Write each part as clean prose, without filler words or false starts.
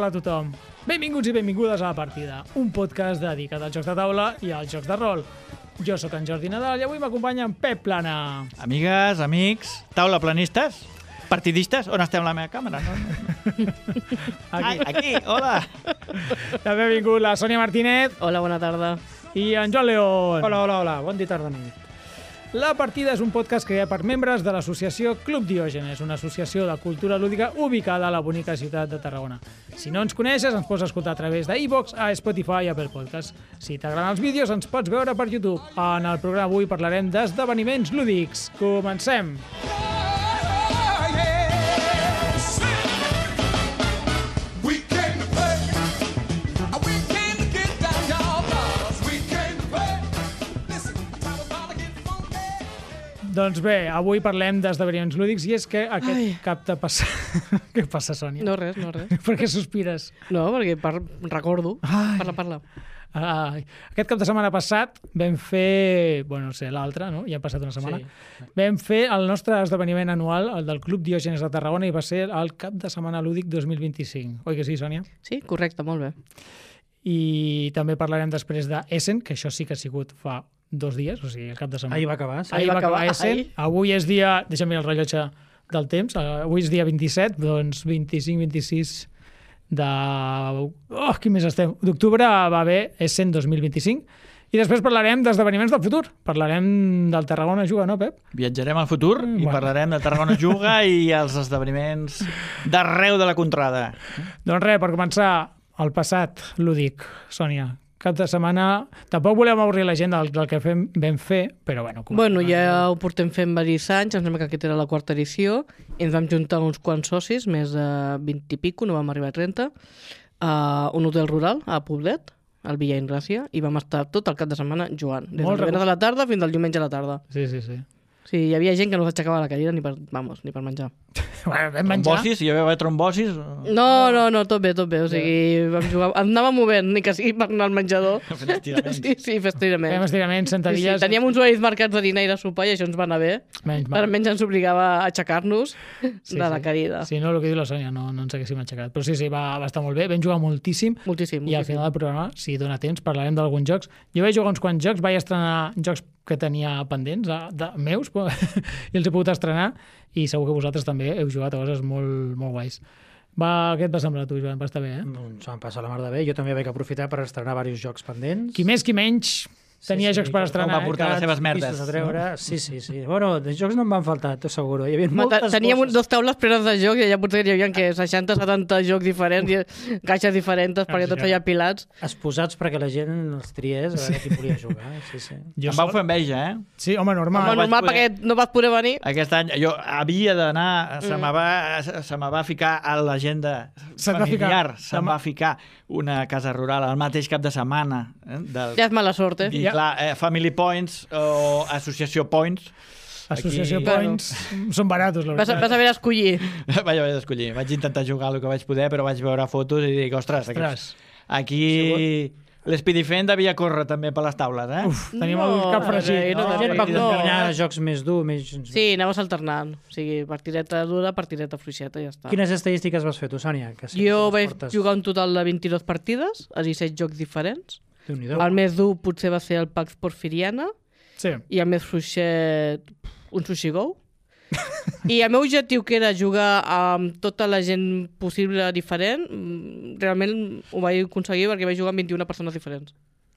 Hola a tothom. Benvinguts i benvingudes a La Partida, un podcast dedicat als jocs de taula i als jocs de rol. Jo sóc en Jordi Nadal i avui m'acompanya en Pep Plana. Amigues, amics, taula planistes, partidistes, on estem la meva càmera? No? Aquí, hola. També ha vingut la Sònia Martínez Hola, bona tarda. i en Joan León. Hola, bon dia, tarda, nit. La Partida és un podcast creat per membres de l'associació Club Diògenes, una associació de cultura lúdica ubicada a la bonica ciutat de Tarragona. Si no ens coneixes, ens pots escoltar a través d'iVoox, a Spotify i Apple Podcast. Si t'agraden els vídeos, ens pots veure per YouTube. En el programa avui parlarem d'esdeveniments lúdics. Comencem! Doncs bé, avui parlem d'esdeveniments lúdics i és que aquest cap de passat... Què passa, Sònia? No res. Per què sospires? No, perquè recordo. Ai. Parla. Aquest cap de setmana passat vam fer... Bueno, no sé, l'altre, no? Ja ha passat una setmana. Sí. Vam fer el nostre esdeveniment anual, el del Club Diògenes de Tarragona, i va ser el cap de setmana lúdic 2025. Oi que sí, Sònia? Sí, correcte, molt bé. I també parlarem després de Essen, que això sí que ha sigut fa 2 dies, o sigui, el cap de setmana. Ahir va acabar, sí. Ahir va acabar acabar, Essen. ahir. Avui és dia... Deixa'm mirar el rellotge del temps. Avui és dia 27, doncs 25-26 de... Oh, quin mes estem? D'octubre va haver Essen 2025. I després parlarem d'esdeveniments del futur. Parlarem del Tarragona Juga, no, Pep? Viatjarem al futur i Bueno. parlarem de Tarragona Juga i els esdeveniments d'arreu de la contrada. Doncs res, per començar, el passat lúdic, Sònia. Cap de setmana... Tampoc volem avorrir la gent del que vam fer, però bueno... Bueno, ja ho portem fent diversos anys, em sembla que aquesta era la 4ª edició, i ens vam juntar uns quants socis, més de 20 i pico, no vam arribar a 30, a un hotel rural, a Poblet, al Villa Ingràcia, i vam estar tot el cap de setmana jugant, des Molt del divendres a la tarda fins al diumenge a la tarda. Sí. Sí, hi havia gent que no s'aixecava a la cadira ni per menjar. Bueno, vam menjar. Trombosis, hi va haver trombosis? No, tot bé, o sigui, vam jugar, anàvem movent, ni que sigui per anar al menjador. Fent estiraments. Sí, fer estiraments. Fem estiraments, Sí, sentadilles... teníem uns horaris marcats de dinar i de sopar i això ens va anar bé. Menys Per mal. almenys ens obligava a aixecar-nos de la cadira. Si no, el que diu la Sònia, no ens haguéssim aixecat. Però sí, va estar molt bé. Vam jugar moltíssim. Moltíssim. I al final del programa, si dona temps, parlarem d'alguns jocs. Jo vaig jugar uns quants jocs, vaig estrenar jocs que tenia pendents, meus, i els he pogut estrenar, i segur que vosaltres també heu jugat a coses molt, molt guais. Què et va semblar a tu, Joan? Va estar bé, eh? Doncs vam passar la mar de bé. Jo també vaig aprofitar per estrenar diversos jocs pendents. Qui més, qui menys, tenia jocs per estrenar. va portar les seves merdes, A treure. No? Sí. Bueno, de jocs no em van faltar, t'ho asseguro. Hi havia moltes Teníem bosses. 2 taules plenes de jocs i allà potser hi havia 60-70 jocs diferents i caixes diferents perquè tots allà pilats. Exposats perquè la gent els triés a veure qui volia jugar. Sí. Em vau fer enveja, eh? Sí, home, normal. Home, normal poder- perquè no vas poder venir. Aquest any jo havia d'anar, se me va ficar a l'agenda Se't va ficar. familiar, se'm va ficar una casa rural al mateix cap de setmana. Ja és mala sort, eh? I clar, Family Points o Associació Points. Associació Aquí- Points són baratos, la Vas veritat. haver d'escollir. Vaig haver d'escollir. Vaig intentar jugar el que vaig poder, però vaig veure fotos i dic, ostres, aquí l'Spidifent devia córrer també per les taules, eh? Uf, tenim el cap fregit. no, La gent va no. combinar jocs més durs, més... Sí, anaves alternant. O sigui, partideta dura, partideta fluixeta i ja està. Quines estadístiques vas fer tu, Sònia? Que sempre Jo les vaig portes. jugar un total de 22 partides a 17 jocs diferents. Déu-n'hi-do. El més dur potser va ser el Pax Porfiriana Sí. i el més fluixet un Sushi Go. I el meu objectiu, que era jugar amb tota la gent possible diferent, realment ho vaig aconseguir perquè vaig jugar amb 21 persones diferents.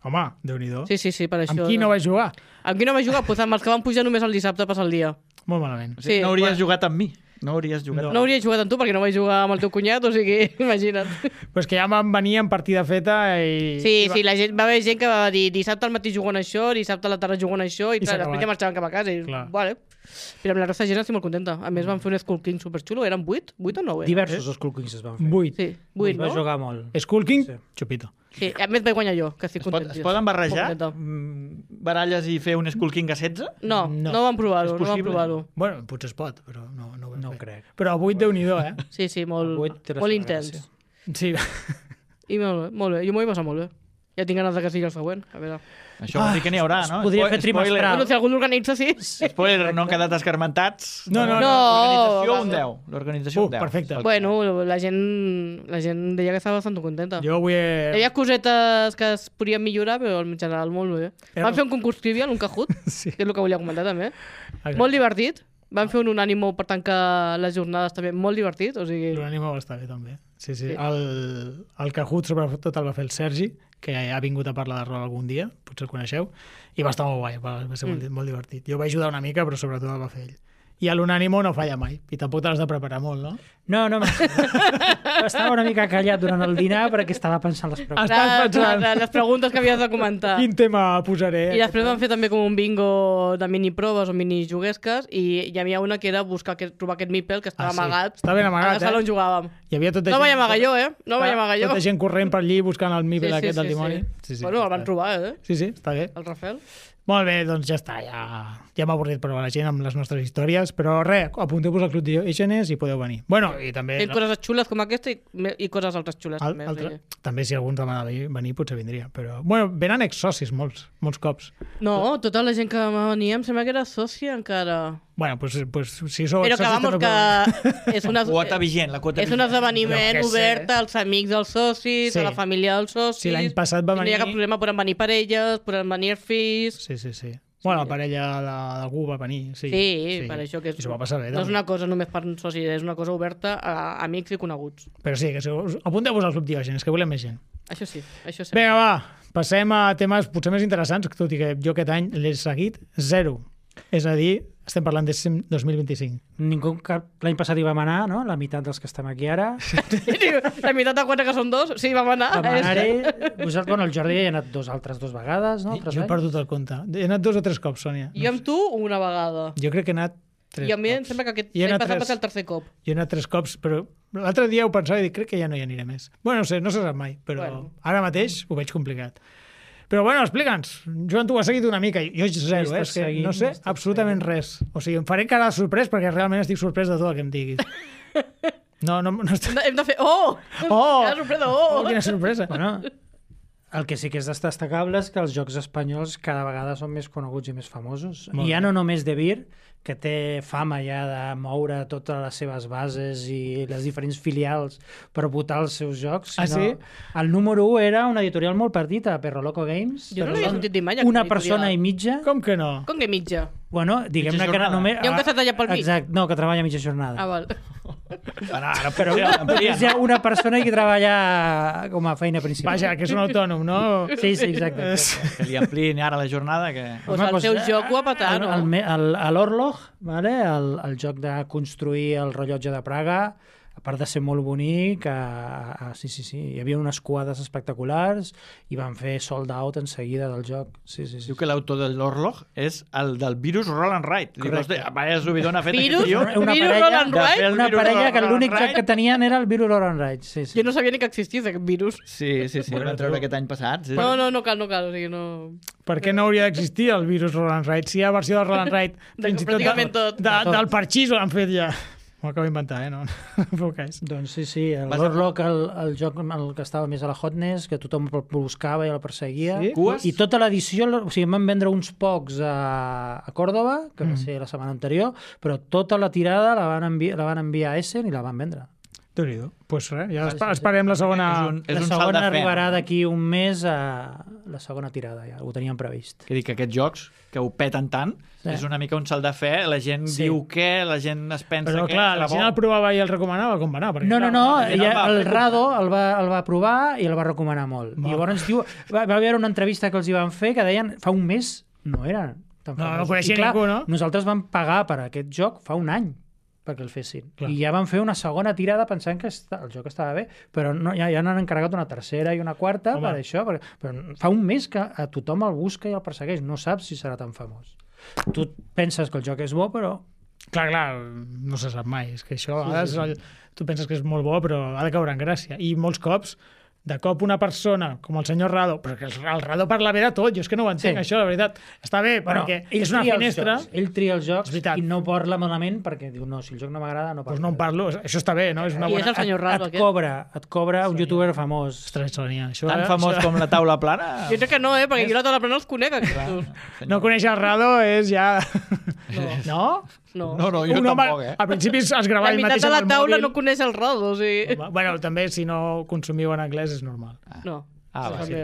Home, Déu-n'hi-do. Sí, per això. Amb qui no vaig jugar? Amb qui no vaig jugar? Pues amb els que van pujar només el dissabte a passar el dia. Molt malament. O sigui, Sí, no hauries bueno. jugat amb mi. No hauries jugat No hauria jugat amb tu perquè no vaig jugar amb el teu cunyat, o sigui, imagina't. Però és que ja vam venir en partida feta i... Sí, la gent, va haver gent que va dir dissabte al matí jugant això, dissabte a la tarda jugant això, i clar, s'ha després acabat. ja marxaven cap a casa. I, Clar. vale. Però amb la resta de gent estic molt contenta. A més, van fer un Skull King superxulo. Eren 8? 8 o 9? Diversos Skull Kings es van fer. 8. Sí, 8, Va no? jugar molt. Skull King, Sí. xupito. Sí, a més vaig guanyar jo, que estic Es content. poden barrejar Molt contenta. baralles i fer un Skull King a 16? No, No. no vam provar-ho, És no vam possible? provar-ho. Bueno, potser es pot, però no ho vam No ho fer. crec. Però a 8, Déu-n'hi-do, eh? Sí, El vuit té la molt seva intens. gràcia. Sí. I molt bé, jo m'ho vaig passar molt bé. Ja tinc ganes que sigui el següent. A veure. Això vol dir que n'hi haurà, no? podria fer trimestral. Bueno, si algú l'organitza, sí. Spoiler, no han quedat escarmentats. No. L'organització un 10. L'organització un 10. Perfecte. Bueno, la gent deia que estava bastant contenta. Jo avui Hi havia cosetes que es podien millorar, però en general molt bé. Van fer un concurs trivial, un Kahoot, Sí. que és el que volia comentar també. Exacte. Molt divertit. Van fer un unànimo per tancar les jornades també molt divertit. O sigui... L'ànimo va estar bé, també. Sí. El Kahoot, sobretot, el va fer el Sergi, que ha vingut a parlar de rol algun dia, potser el coneixeu, i va estar molt guai, va ser molt divertit. Jo vaig ajudar una mica, però sobretot el va fer ell. I a l'unànimo no falla mai, i tampoc te l'has de preparar molt, no? No. Estava una mica callat durant el dinar perquè estava pensant les preguntes. Estàs pensant Les preguntes que havies de comentar. quin tema posaré. I després van fer també com un bingo de mini-proves o mini-juguesques i hi havia una que era trobar aquest Meeple que estava Ah, sí. amagat Està ben amagat, a la sala on jugàvem. Hi havia tota No gent... vaig amagar jo, No vaig amagar jo. Tota gent corrent per allí buscant el Mibel aquest del dimoni. Sí. Bueno, el van trobar, Sí, està bé. el Rafael. Molt bé, doncs ja està, ja m'ha avorrit prou a la gent amb les nostres històries, però res, apunteu-vos al Club Diogenes i podeu venir. Bueno, i també... Fent coses xules com aquesta i coses altres xules també. També si algú ens demana venir potser vindria, però... Bueno, venen exsocis molts cops. No, tota la gent que venia em sembla que era sòcia encara. Bueno, pues si sou Però que exsocis... vamos, que és La quota vigent, la quota és un vigent. esdeveniment Jo què sé. obert als amics dels socis, Sí. a la família dels socis. Si l'any passat va Si no hi ha venir- cap problema, poden venir parelles, poden venir els fills... Sí. Bueno, la parella d'algú va venir, sí. Sí, per això que I s'ho va passar bé, no és també. una cosa només per socis, és una cosa oberta a amics i coneguts. Però sí, que apunteu-vos al Club Diogenes, que volem més gent. Això sí, això sí. Vinga, va, passem a temes potser més interessants, tot i que jo aquest any l'he seguit 0. És a dir, estem parlant de 2025. L'any passat hi vam anar, no? La meitat dels que estem aquí ara. La meitat de 4 que són 2, sí, vam anar. Vam anar-hi. Bueno, el Jordi hi ha anat altres dues vegades, no? Jo he perdut el compte. He anat 2 o 3 cops, Sònia. Jo amb tu una vegada. Jo crec que he anat 3 I a mi em cops. sembla que aquest I he l'any anat passat va tres. ser el tercer cop. Jo he anat 3 cops, però l'altre dia ho pensava i dic, crec que ja no hi aniré més. Bueno, no se sap mai, però Bueno. ara mateix ho veig complicat. Però bueno, explica'ns. Joan, tu has seguit una mica. Jo 0, és que no sé absolutament res. O sigui, em faré cara de sorprès perquè realment estic sorprès de tot el que em diguis. No està... Hem de fer... Oh! Oh! Quina sorpresa! Oh! Quina sorpresa! Bueno, el que sí que és destacable és que els jocs espanyols cada vegada són més coneguts i més famosos. Molt I ja bé. no només De Beer, que té fama ja de moure totes les seves bases i les diferents filials per votar els seus jocs. Ah, sí? El número 1 era una editorial molt petita, Perro Loco Games. Jo no l'havia sentit dir mai. Una aquesta persona i editorial. mitja. Com que no? Com que mitja? Bueno, diguem-ne Mitja que era jornada. només... Hi ha un que està tallat pel mig. Exacte, no, que treballa mitja jornada. Ah, val. Ara Però és ja una persona que treballa com a feina principal. Vaja, que és un autònom, no? Sí, exacte. que li ampliïn ara la jornada, que... Pues el seu joc ho ha patat, no? L'Orlog, vale? el joc de construir el rellotge de Praga, a part de ser molt bonic, sí, hi havia unes quadres espectaculars i van fer sold out en seguida del joc. Sí. Diu que l'autor de l'Orlog és el del Virus Roll and Ride. Dic, Correcte. hòstia, vaya subidón ha fet Virus? aquest tio. Una Virus parella- Roll and de fer Ride? el Una Virus parella que Roll and l'únic joc Ride. que tenien era el Virus Roll and Ride. Sí. Jo no sabia ni que existís aquest virus. Sí, el van treure aquest any passat. Sí. No cal. O sigui, no... Per què no hauria d'existir el virus Roll and Ride? Si hi ha versió del Roll and Ride, De fins i tot, pràcticament tot. del parxís ho han fet ja. M'ho acabo d'inventar, no? No feu cas. Doncs sí, l'Orlog, el joc el que estava més a la Hotness, que tothom el buscava i el perseguia. Sí? Cues? I tota l'edició, o sigui, em van vendre uns pocs a Còrdoba, que va ser la setmana anterior, però tota la tirada la van enviar a Essen i la van vendre. Déu-n'hi-do. Doncs res, ja esperem la segona... És La un salt segona de fe. arribarà d'aquí un mes a la segona tirada, ja ho teníem previst. Que dic que aquests jocs, que ho peten tant, Sí. és una mica un salt de fe, la gent diu què, la gent es pensa Però què... clar, serà la gent bo. el provava i el recomanava, com va anar? Perquè, No, clar, el Rado el va provar i el va recomanar molt. I llavors diu, va haver una entrevista que els hi van fer que deien fa un mes no eren tan No famosos. coneixia I clar, ningú, no? Nosaltres vam pagar per aquest joc fa un any perquè el fessin. Clar. I ja van fer una segona tirada pensant que el joc estava bé, però no, ja n'han encarregat una tercera i una quarta Home. per això, però fa un mes que a tothom el busca i el persegueix, no saps si serà tan famós. Tu penses que el joc és bo, però Clar, no se sap mai. És que això, a vegades, tu penses que és molt bo, però ha de caure en gràcia. I molts cops de cop una persona com el senyor Rado, perquè el Rado parla bé de tot, jo és que no ho entenc, això, la veritat. Està bé, perquè és una finestra... Ell tria els jocs i no parla malament perquè diu, no, si el joc no m'agrada, no parla. Doncs no en parlo, això està bé, no? És una I és bona... el senyor Rado, Et cobra un youtuber famós. Ostres, Sònia, això... Tan famós com la taula plana? Jo crec que no, perquè jo la taula plana els conec, aquests. No conèixer el Rado és ja... No? No, No, jo tampoc, Al principi es gravava ell mateix de la amb el taula mòbil. no coneix el Rado, o sigui... Bueno, també si no consumiu en anglès és normal. No. Va, sí.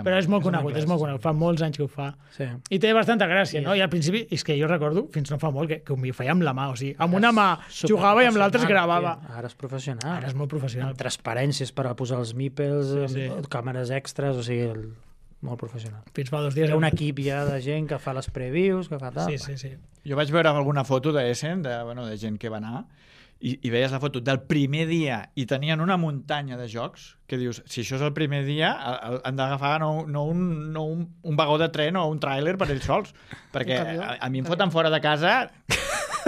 Però és molt conegut, fa molts anys que ho fa. Sí. I té bastanta gràcia, no? I al principi, és que jo recordo, fins no fa molt, que ho feia amb la mà, o sigui, amb una mà jugava i amb l'altra es gravava. Ara és professional. Ara és molt professional. Amb transparències per a posar els meeples, càmeres extras, o sigui, molt professional. Fins fa 2 dies. Hi ha un equip ja de gent que fa les previews, que fa tal. Sí. Jo vaig veure alguna foto d'Essen, de gent que va anar, i veies la foto del primer dia i tenien una muntanya de jocs que dius, si això és el primer dia han d'agafar no un vagó de tren o un tràiler per ells sols, perquè a mi em foten fora de casa.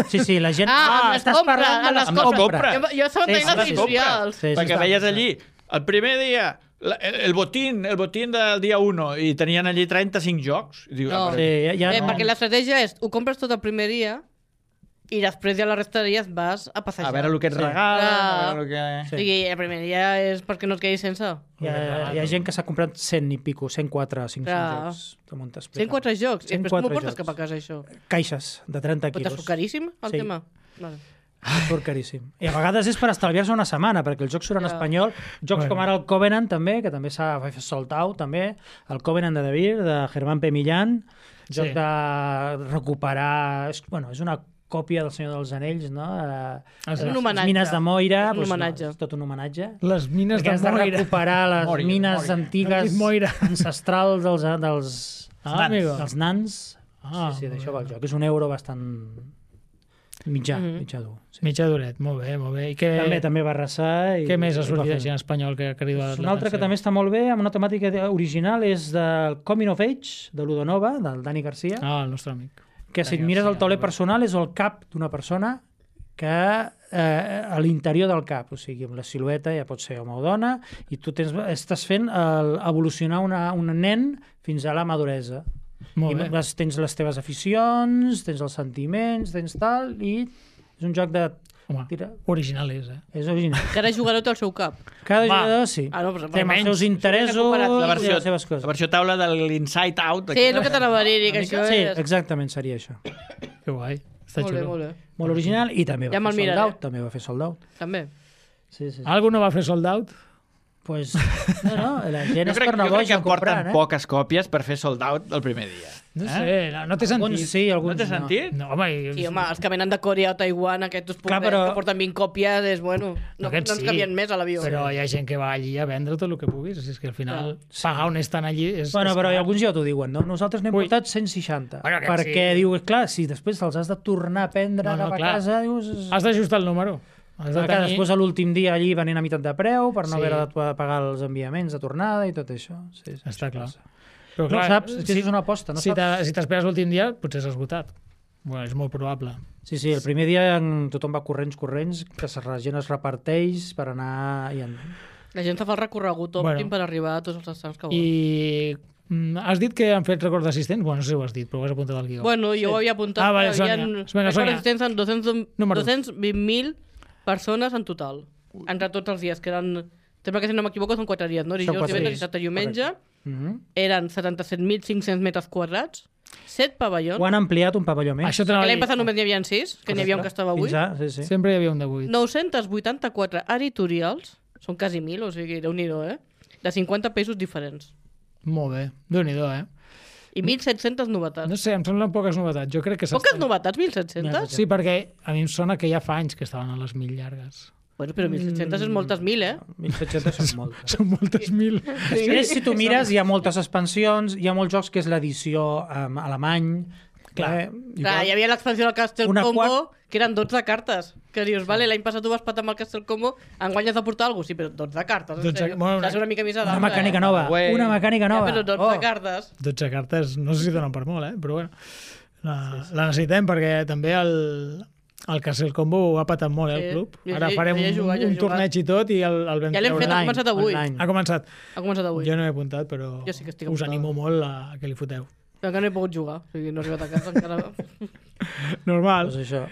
Sí, la gent... estàs parlant de les compres. Jo estava tenint les editorials. Perquè veies allí, el primer dia, el botín del dia 1, i tenien allí 35 jocs. I diu, perquè l'estratègia és, ho compres tot el primer dia, i després ja la resta de dies vas a passejar. A veure el que et regalen, a veure el que... O sigui, el primer dia és perquè no et quedis sense. Hi ha gent que s'ha comprat 100 i pico, 104, 500 jocs. 104 jocs? I després com ho portes cap a casa, això? Caixes de 30 quilos. Però t'has caríssim, el tema? Vale. Surt caríssim. I a vegades és per estalviar-se una setmana, perquè els jocs són en espanyol. Jocs com ara el Covenant, també, que també s'ha fet sold out, també. El Covenant de Devir, de Germán P. Millán. Joc de recuperar... Bueno, és una còpia del Senyor dels Anells, no? És un homenatge. Les mines de Moira. Un homenatge. Tot un homenatge. Les mines de Moira. Has de recuperar les mines antigues ancestrals dels nans. Sí, d'això va el joc. És un euro bastant mitjà dur. Mitjà duret, molt bé. I també va arrasar. Què més ha sortit així en espanyol que ha cridat un altre que també està molt bé, amb una temàtica original, és del Coming of Age, de Ludonova, del Dani Garcia. El nostre amic. Que si et mires el tauler personal és el cap d'una persona que a l'interior del cap, o sigui, amb la silueta ja pot ser home o dona, i tu estàs fent evolucionar un nen fins a la maduresa. Tens les teves aficions, tens els sentiments, tens tal, i és un joc de... Home, original és, És original. Cada jugador té el seu cap. Cada jugador, sí. Té els seus interessos i les seves coses. La versió taula de l'Inside Out. Sí, és el que t'anava a dir, que això és... Sí, exactament, seria això. Que guai. Està xulo. Molt bé. Molt original, i també va fer sold out. També va fer sold out. També. Algú no va fer sold out? Pues, no, la gent es torna boja boja a comprar, porten poques còpies per fer sold out el primer dia. No sé, no té sentit. Alguns sí, alguns no. No té sentit? No, home, sí, home, els que venen de Corea o Taiwan, aquests que porten 20 còpies, és bueno, no ens canvien més a l'avió. Però hi ha gent que va allí a vendre tot el que puguis, és que al final pagar on estan allí és... Bueno, però alguns ja t'ho diuen, no? Nosaltres n'hem portat 160, perquè diu, clar, si després te'ls has de tornar a prendre cap a casa, dius... Has d'ajustar el número. Després a l'últim dia allí venint a meitat de preu per no haver de pagar els enviaments de tornada i tot això. Està clar. Però clar, no saps, és que és una aposta. Si t'esperes l'últim dia, potser s'ha esgotat. Bueno, és molt probable. Sí, el primer dia tothom va corrents, que la gent es reparteix per anar... La gent fa el recorregut òptim per arribar a tots els estants que vol. I has dit que han fet record d'assistents? Bueno, no sé si ho has dit, però ho has apuntat al guió. Bueno, jo ho havia apuntat. Vale, Sònia. Record d'assistents en 220.000 persones en total, entre tots els dies, que eren, sempre que si no m'equivoco són 4 dies, no? Dijous, divendres, dissabte i diumenge, eren 77.500 metres quadrats, 7 pavellons. Ho han ampliat un pavelló més. L'any passat només n'hi havia 6, que n'hi havia un que estava 8. Sempre hi havia un de 8. 984 editorials, són quasi 1.000, o sigui, déu-n'hi-do, de 50 països diferents. Molt bé, déu-n'hi-do, I 1.700 novetats. No sé, em semblen poques novetats. Jo crec que poques novetats, 1.700? Sí, perquè a mi em sona que ja fa anys que estaven a les 1.000 llargues. Bueno, però 1.700 és moltes 1.000, 1.700 són moltes. Són moltes 1.000. Després, si tu mires, hi ha moltes expansions, hi ha molts jocs que és l'edició alemany. Clar, hi havia l'expansió del Castle Combo, que eren 12 cartes. Que dius, vale, l'any passat tu vas patar amb el Castle Combo, enguany has de portar alguna cosa, sí, però 12 cartes. És una mica misada. Una mecànica nova. Una mecànica nova. Però 12 cartes. 12 cartes, no sé si donen per molt, però bueno. La necessitem perquè també El Castle Combo ho ha patat molt, el club. Ara farem un torneig i tot i el vam Ja l'hem fet, ha començat avui. Ha començat. Ha començat avui. Jo no m'he apuntat, però Jo sí que estic us apuntada. animo molt a que li foteu. Però que no he pogut jugar, o sigui, no he arribat a casa encara. Normal. Doncs això.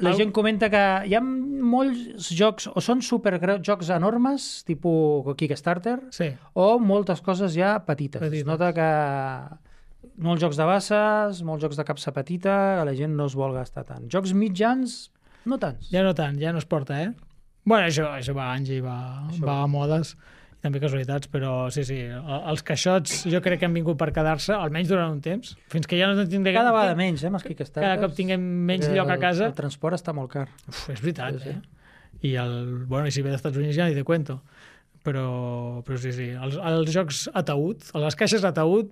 La gent comenta que hi ha molts jocs, o són jocs enormes, tipus Kickstarter, Sí. o moltes coses ja petites. Petites. Es nota que molts jocs de basses, molts jocs de capsa petita, que la gent no es vol gastar tant. Jocs mitjans, no tants. Ja no tant, ja no es porta, eh? Bueno, això va a anys i va a modes, i també casualitats, però sí, els caixots jo crec que han vingut per quedar-se, almenys durant un temps, fins que ja no tindrem... Cada vegada menys, amb els Kickstarters. Cada cop tinguem menys lloc a casa. El transport està molt car. Uf, és veritat, Sí, sí. I i si ve dels Estats Units ja ni te cuento. Però sí, els jocs ataúd, les caixes ataúd,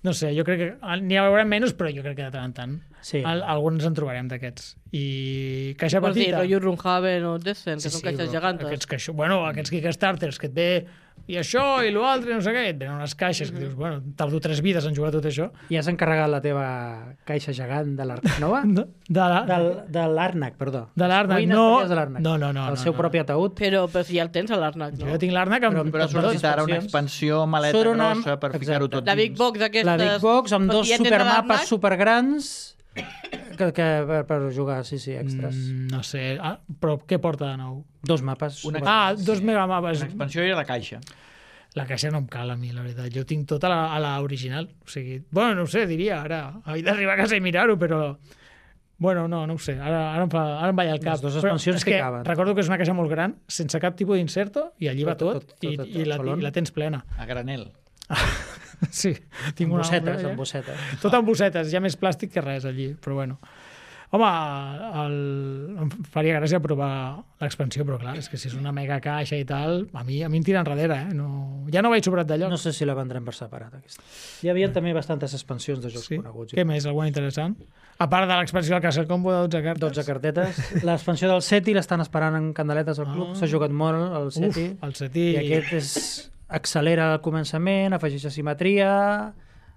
no sé, jo crec que n'hi haurà menys, però jo crec que de tant en tant Sí. alguns en trobarem d'aquests. I caixa Vols dir, petita... rotllo Runhaven o Descent, que són caixes gegantes. Aquests Kickstarters que et ve i això i l'altre, no sé què, et venen unes caixes que dius, bueno, tardo 3 vides en jugar tot això. I has encarregat la teva caixa gegant de l'Arnac nova? De l'Arnac, perdó. De l'Arnac, Ruïnes no. ferides de l'Arnac. No. El seu propi ataúd. Però si ja el tens a l'Arnac, no? Jo tinc l'Arnac amb... Però ha sortit ara una expansió maleta Surt una- grossa per ficar-ho tot La Big dins. Box aquestes... La Big Box amb però dos si ja tens a supermapes l'Arnac, supergrans que per jugar, sí, extras. No sé, però què porta de nou? 2 mapes. Una- 2 megamapes. L'expansió i la caixa. La caixa no em cal a mi, la veritat. Jo tinc tota a la original. O sigui, bueno, no ho sé, diria ara. He d'arribar a casa i mirar-ho, però... Bueno, no ho sé. Ara em vaig al cap. Les dues Però expansions és que caben. recordo que és una caixa molt gran, sense cap tipus d'inserto, i allí va Tot, tot, i la tens plena. A granel. Sí, tinc Amb una... bossetes, amb bossetes. Tot amb bossetes, hi ha més plàstic que res allí, però bueno. Home, em faria gràcia provar l'expansió, però clar, és que si és una mega caixa i tal, a mi em tira enrere, eh? Ja no vaig sobrat de lloc. No sé si la vendrem per separat, aquesta. Hi havia també bastantes expansions de jocs Sí? coneguts. Què més? Alguna interessant? A part de l'expansió del Castle Combo de 12 cartes. 12 cartetes. L'expansió del SETI l'estan esperant en candeletes al club. S'ha jugat molt el SETI. El SETI... I aquest accelera al començament, afegeix asimetria,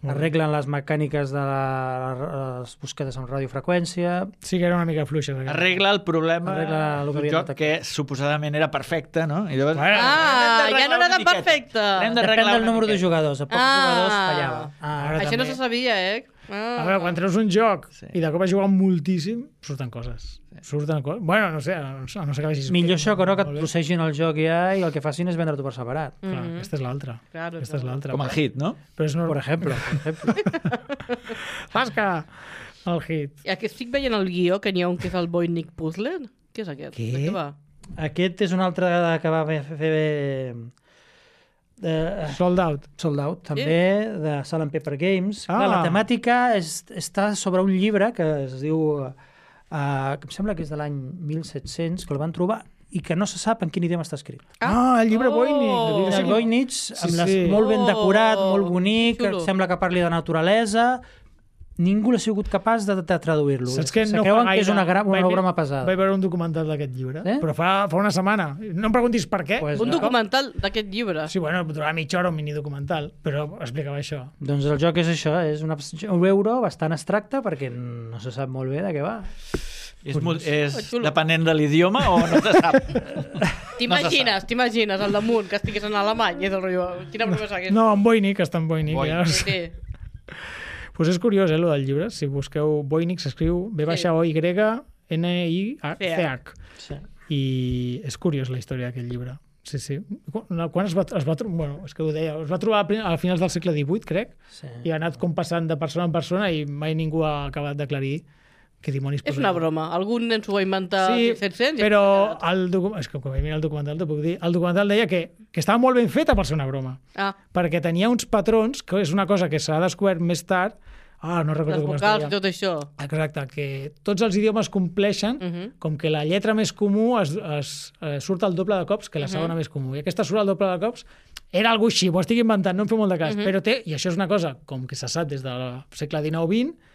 arreglen les mecàniques de les buscades amb radiofreqüència. Sí que era una mica fluixa. Arregla el problema Arregla el que d'un havia joc notat. que suposadament era perfecte, no? I llavors... Bueno, ja no era tan perfecte. Hem Depèn d'arreglar del una número de miqueta. jugadors. A pocs jugadors fallava. Ara Això no també. se sabia, eh? A veure, quan treus un joc Sí. i de cop has jugat moltíssim, surten coses. Surten coses. Bueno, no sé, a no ser que vagis... Millor això que no que et Molt bé. processin el joc ja i el que facin és vendre-t'ho per separat. Clar, aquesta és l'altra. Claro, Aquesta és l'altra. Com el hit, no? Però és Per normal. ejemplo. Tasca! El hit. I aquí estic veient el guió, que n'hi ha un que és el Voynich Puzzler. Què és aquest? Què? De què va? Aquest és un altre que va fer Sold out. Sold Out, també, de Salt and Pepper Games. Ah. Clar, la temàtica està sobre un llibre que es diu... que em sembla que és de l'any 1700, que el van trobar i que no se sap en quin idioma està escrit. El llibre Voynich. El Voynich, amb sí. molt ben decorat, molt bonic, xulo. sembla que parli de naturalesa. Ningú ha sigut capaç de traduir-lo. Saps que Se no creuen fa que és gaire una broma pesada. Vaig veure un documental d'aquest llibre, Eh? però fa una setmana. No em preguntis per què. Pues Un no. documental d'aquest llibre. Sí, bueno, durava mitja hora un minidocumental, però explicava això. Doncs el joc és això, és un euro bastant abstracte perquè no se sap molt bé de què va. És Xulo. depenent de l'idioma o no se sap? T'imagines al damunt que estigués en alemany i és el rotllo... Quina broma és aquesta? No, en Voynich, està en Voynich. Voynich. Ja. Sí. Pues és curiós, lo del llibre. Si busqueu Voynich, s'escriu V-O-Y-N-I-C-H. Sí. I és curiós la història d'aquest llibre. Sí, sí. Quan es va trobar... Bueno, és que ho deia. Es va trobar a finals del segle XVIII, crec, Sí. i ha anat com passant de persona en persona i mai ningú ha acabat d'aclarir què dimonis És una broma. Algun nen s'ho va inventar Sí, 1700 però és que quan vaig mirar el documental t'ho puc dir. El documental deia que estava molt ben feta per ser una broma, Ah, perquè tenia uns patrons, que és una cosa que s'ha descobert més tard, no recordo les com es vocals i deia. tot això. Exacte, que tots els idiomes compleixen, com que la lletra més comú surt el doble de cops que la segona més comú. I aquesta surt el doble de cops. Era algú així, m'ho estic inventant, no em feu molt de cas. Però té, i això és una cosa com que se sap des del segle XIX-XX,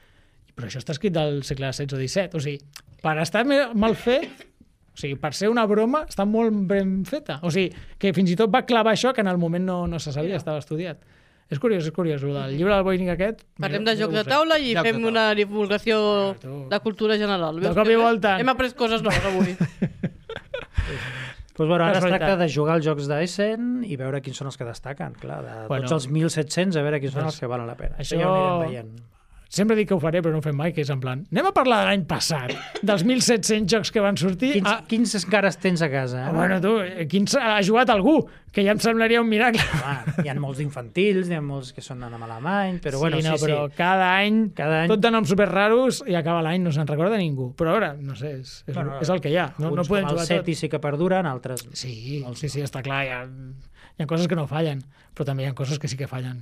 però això està escrit del segle XVI o XVII. O sigui, per estar mal fet, o sigui, per ser una broma, està molt ben feta. O sigui, que fins i tot va clavar això que en el moment no se sabia, estava estudiat. És curiós, el del llibre del Voynich aquest. Parlem de jocs de taula i Jocs de fem taula. una divulgació de cultura general. De cop i volta. Hem après coses noves avui. Pues bueno, ara es Casualitat. tracta de jugar als jocs d'Essen i veure quins són els que destaquen. Clar, de Bueno. tots els 1.700, a veure quins són Doncs els que valen la pena. això- Ja ho anirem veient. Sempre dic que ho faré, però no ho fem mai, que és en plan... Anem a parlar de l'any passat, dels 1.700 jocs que van sortir. Quins encara tens a casa? Bueno, tu, quins ha jugat algú? Que ja em semblaria un miracle. Home, hi ha molts infantils, hi ha molts que són en alemany, però bueno, no, sí, però sí. cada any, Cada any- tot de noms superraros i acaba l'any, no se'n recorda ningú. Però ara, no sé, és el que hi ha. No Uns podem com el jugar tot. Seti sí que perduren, altres... Sí, està clar, hi ha coses que no fallen, però també hi ha coses que sí que fallen.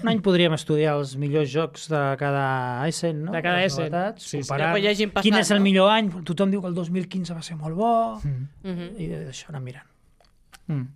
Un any podríem estudiar els millors jocs de cada Essen, no? De cada Les Essen. novetats, Sí, sí. comparar Ja, que hi hagin passat, quin és el no? millor any. Tothom diu que el 2015 va ser molt bo, Mhm. i d'això anem mirant.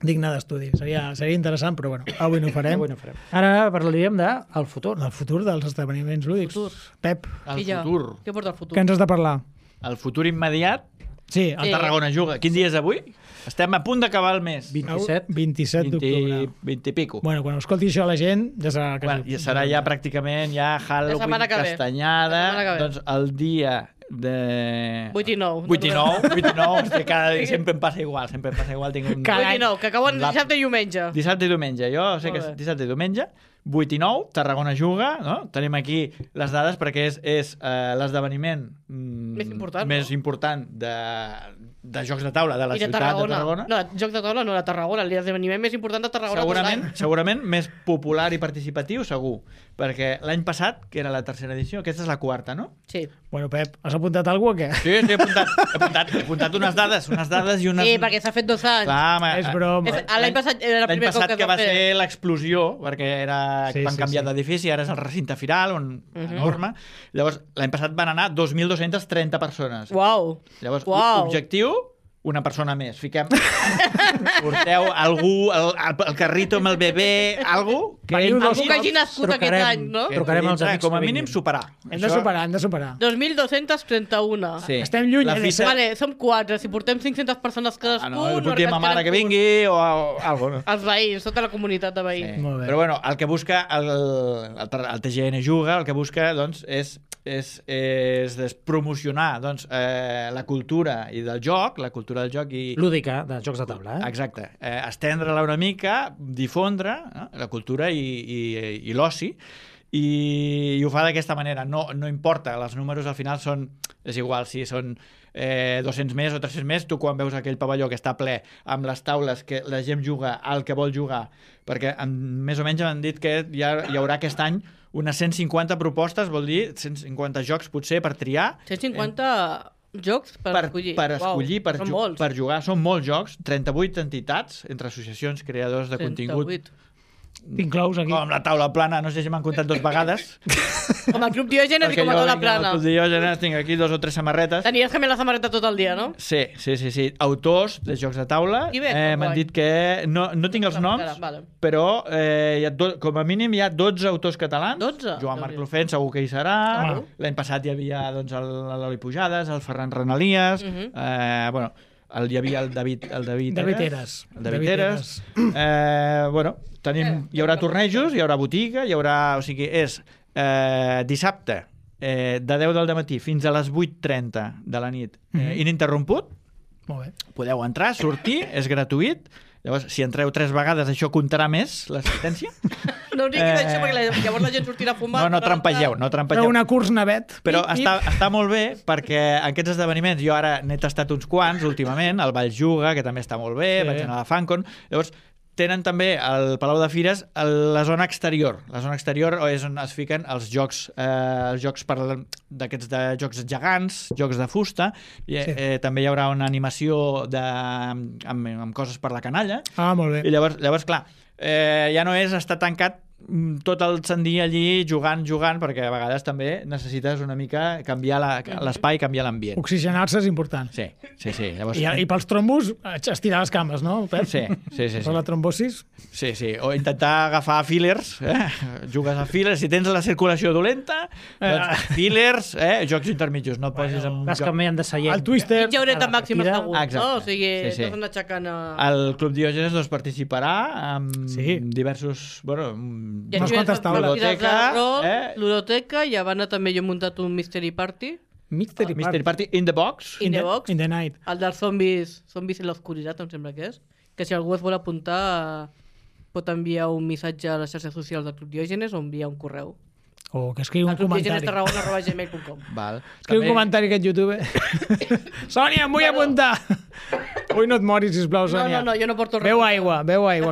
Digne d'estudi. Seria interessant, però bueno, avui no ho farem. Avui no farem. Ara parlaríem del futur. El futur dels esdeveniments lúdics. Futur. Pep, El I ja, futur. què porta el futur? què ens has de parlar? El futur immediat, Sí, el Tarragona juga. Quin dia és avui? Estem a punt d'acabar el mes. 27. 27 d'octubre. 20 i pico. Bueno, quan escolti això la gent, ja serà... Bueno, ja serà ja pràcticament Halloween, setmana que ve. castanyada, La setmana que ve. doncs el dia de... 8 i 9. 8 i 9, 8 i 9, hòstia, cada dia sempre em passa igual, tinc un... 8 i 9, que acaben La- dissabte i diumenge. Dissabte i diumenge, jo sé que Molt és bé. dissabte i diumenge, 8 i 9, Tarragona juga, no? Tenim aquí les dades perquè és l'esdeveniment Més important, de jocs de taula de la I de ciutat Tarragona. de Tarragona. No, jocs de taula no de Tarragona, l'esdeveniment més important de Tarragona tot l'any. Segurament més popular i participatiu, segur. Perquè l'any passat, que era la tercera edició, aquesta és la quarta, no? Sí. Bueno, Pep, has apuntat alguna cosa o què? Sí, he apuntat unes dades i unes... Sí, perquè s'ha fet 2 anys. Clar, home, És broma. L'any passat era el L'any primer cop passat que que es va va fer. ser l'explosió, perquè Sí, van sí, canviar sí. d'edifici, ara és el recinte firal, enorme. Llavors, l'any passat van anar 2.230 persones. Uau. Llavors, Uau. objectiu, una persona més. Porteu algú, el carrito amb el bebè, algú que Veniu entri- dos Algú que hagi nascut aquest Trucarem. any, no? que Trucarem als entri, amics com a que mínim vinguin. superar. Hem de superar. 2.231. Sí. Estem lluny, La de fita... ser- Vale, som 4. Si portem 500 persones cadascú... no, puc dir a ma mare que vingui o algo, no? Els veïns, tota la comunitat de veïns. Sí. Molt bé. Però bueno, el que busca el TGN Juga, el que busca doncs, és promocionar doncs, la cultura i del joc, la cultura del joc i... Lúdica, de jocs de taula, eh? Exacte. Estendre-la una mica, difondre la cultura i l'oci, i ho fa d'aquesta manera. No importa, els números al final són... És igual si són 200 més o 300 més, tu quan veus aquell pavelló que està ple amb les taules que la gent juga al que vol jugar, perquè més o menys m'han dit que hi haurà aquest any unes 150 propostes, vol dir 150 jocs potser per triar. 150 jocs per escollir. Per escollir, Uau, són molts. per jugar. Són molts jocs, 38 entitats entre associacions, creadors de contingut. 38. T'inclous aquí. Com la taula plana, no sé si m'han comptat 2 vegades. Com a Club Diògenes i com a taula plana. Al Diògenes tinc aquí 2 o 3 samarretes. Tenies que mirar la samarreta tot el dia, no? Sí. Autors de jocs de taula. I bé, M'han guai. dit que... No tinc els noms, Vale. però com a mínim hi ha 12 autors catalans. 12? Joan Marc Déu-n'hi-do. Lofent segur que hi serà. Home. L'any passat hi havia doncs, l'Oli Pujades, el Ferran Renalies, bueno, hi havia el David Eres. El David Eres. Bueno, hi haurà tornejos, hi haurà botiga, o sigui, és dissabte de 10 del matí fins a les 8:30 de la nit, ininterromput. Molt bé. Podeu entrar, sortir, és gratuït. Llavors, si entreu 3 vegades, això comptarà més, l'assistència. No diguis això, perquè llavors la gent sortirà a fumar. No trampegeu, no Feu trampegeu. una curs navet. Però Pip, pip. està molt bé perquè aquests esdeveniments, jo ara n'he tastat uns quants últimament, el Vall Juga, que també està molt bé, Sí. vaig anar a la Fancon. Llavors, tenen també al Palau de Fires la zona exterior. La zona exterior és on es fiquen els jocs d'aquests de jocs gegants, jocs de fusta. També hi haurà una animació amb coses per la canalla. Ah, molt bé. I llavors clar, ja no és estar tancat tot el sant dia allí jugant, perquè a vegades també necessites una mica canviar l'espai, canviar l'ambient. Oxigenar-se és important. Sí. Llavors, I pels trombos, estirar les cames, no, Pep? Sí. Per la trombosis? Sí. O intentar agafar fillers, jugues a fillers, si tens la circulació dolenta, doncs fillers, jocs intermitjos, no et posis en un Vas joc. canviant de seient. El Twister... Mitja horeta màxima segur, Exacte. no? O sigui, Sí. t'has d'anar aixecant a... El Club Diògenes doncs, participarà amb diversos... Bueno, Ja unes quantes taules. Ludoteca, i a banda també jo he muntat un Mystery Party. Mystery Party in the Box. In the Box. In the Night. El dels zombis en l'oscuritat, em sembla que és. Que si algú es vol apuntar pot enviar un missatge a les xarxes socials del Club Diògenes o enviar un correu. O que escriu un comentari. clubdiogenestarragona@gmail.com. Val. Escriu un comentari aquest YouTube. Sònia, em vull apuntar! Ui, no et moris, sisplau, Sònia. No, jo no porto res. Beu aigua,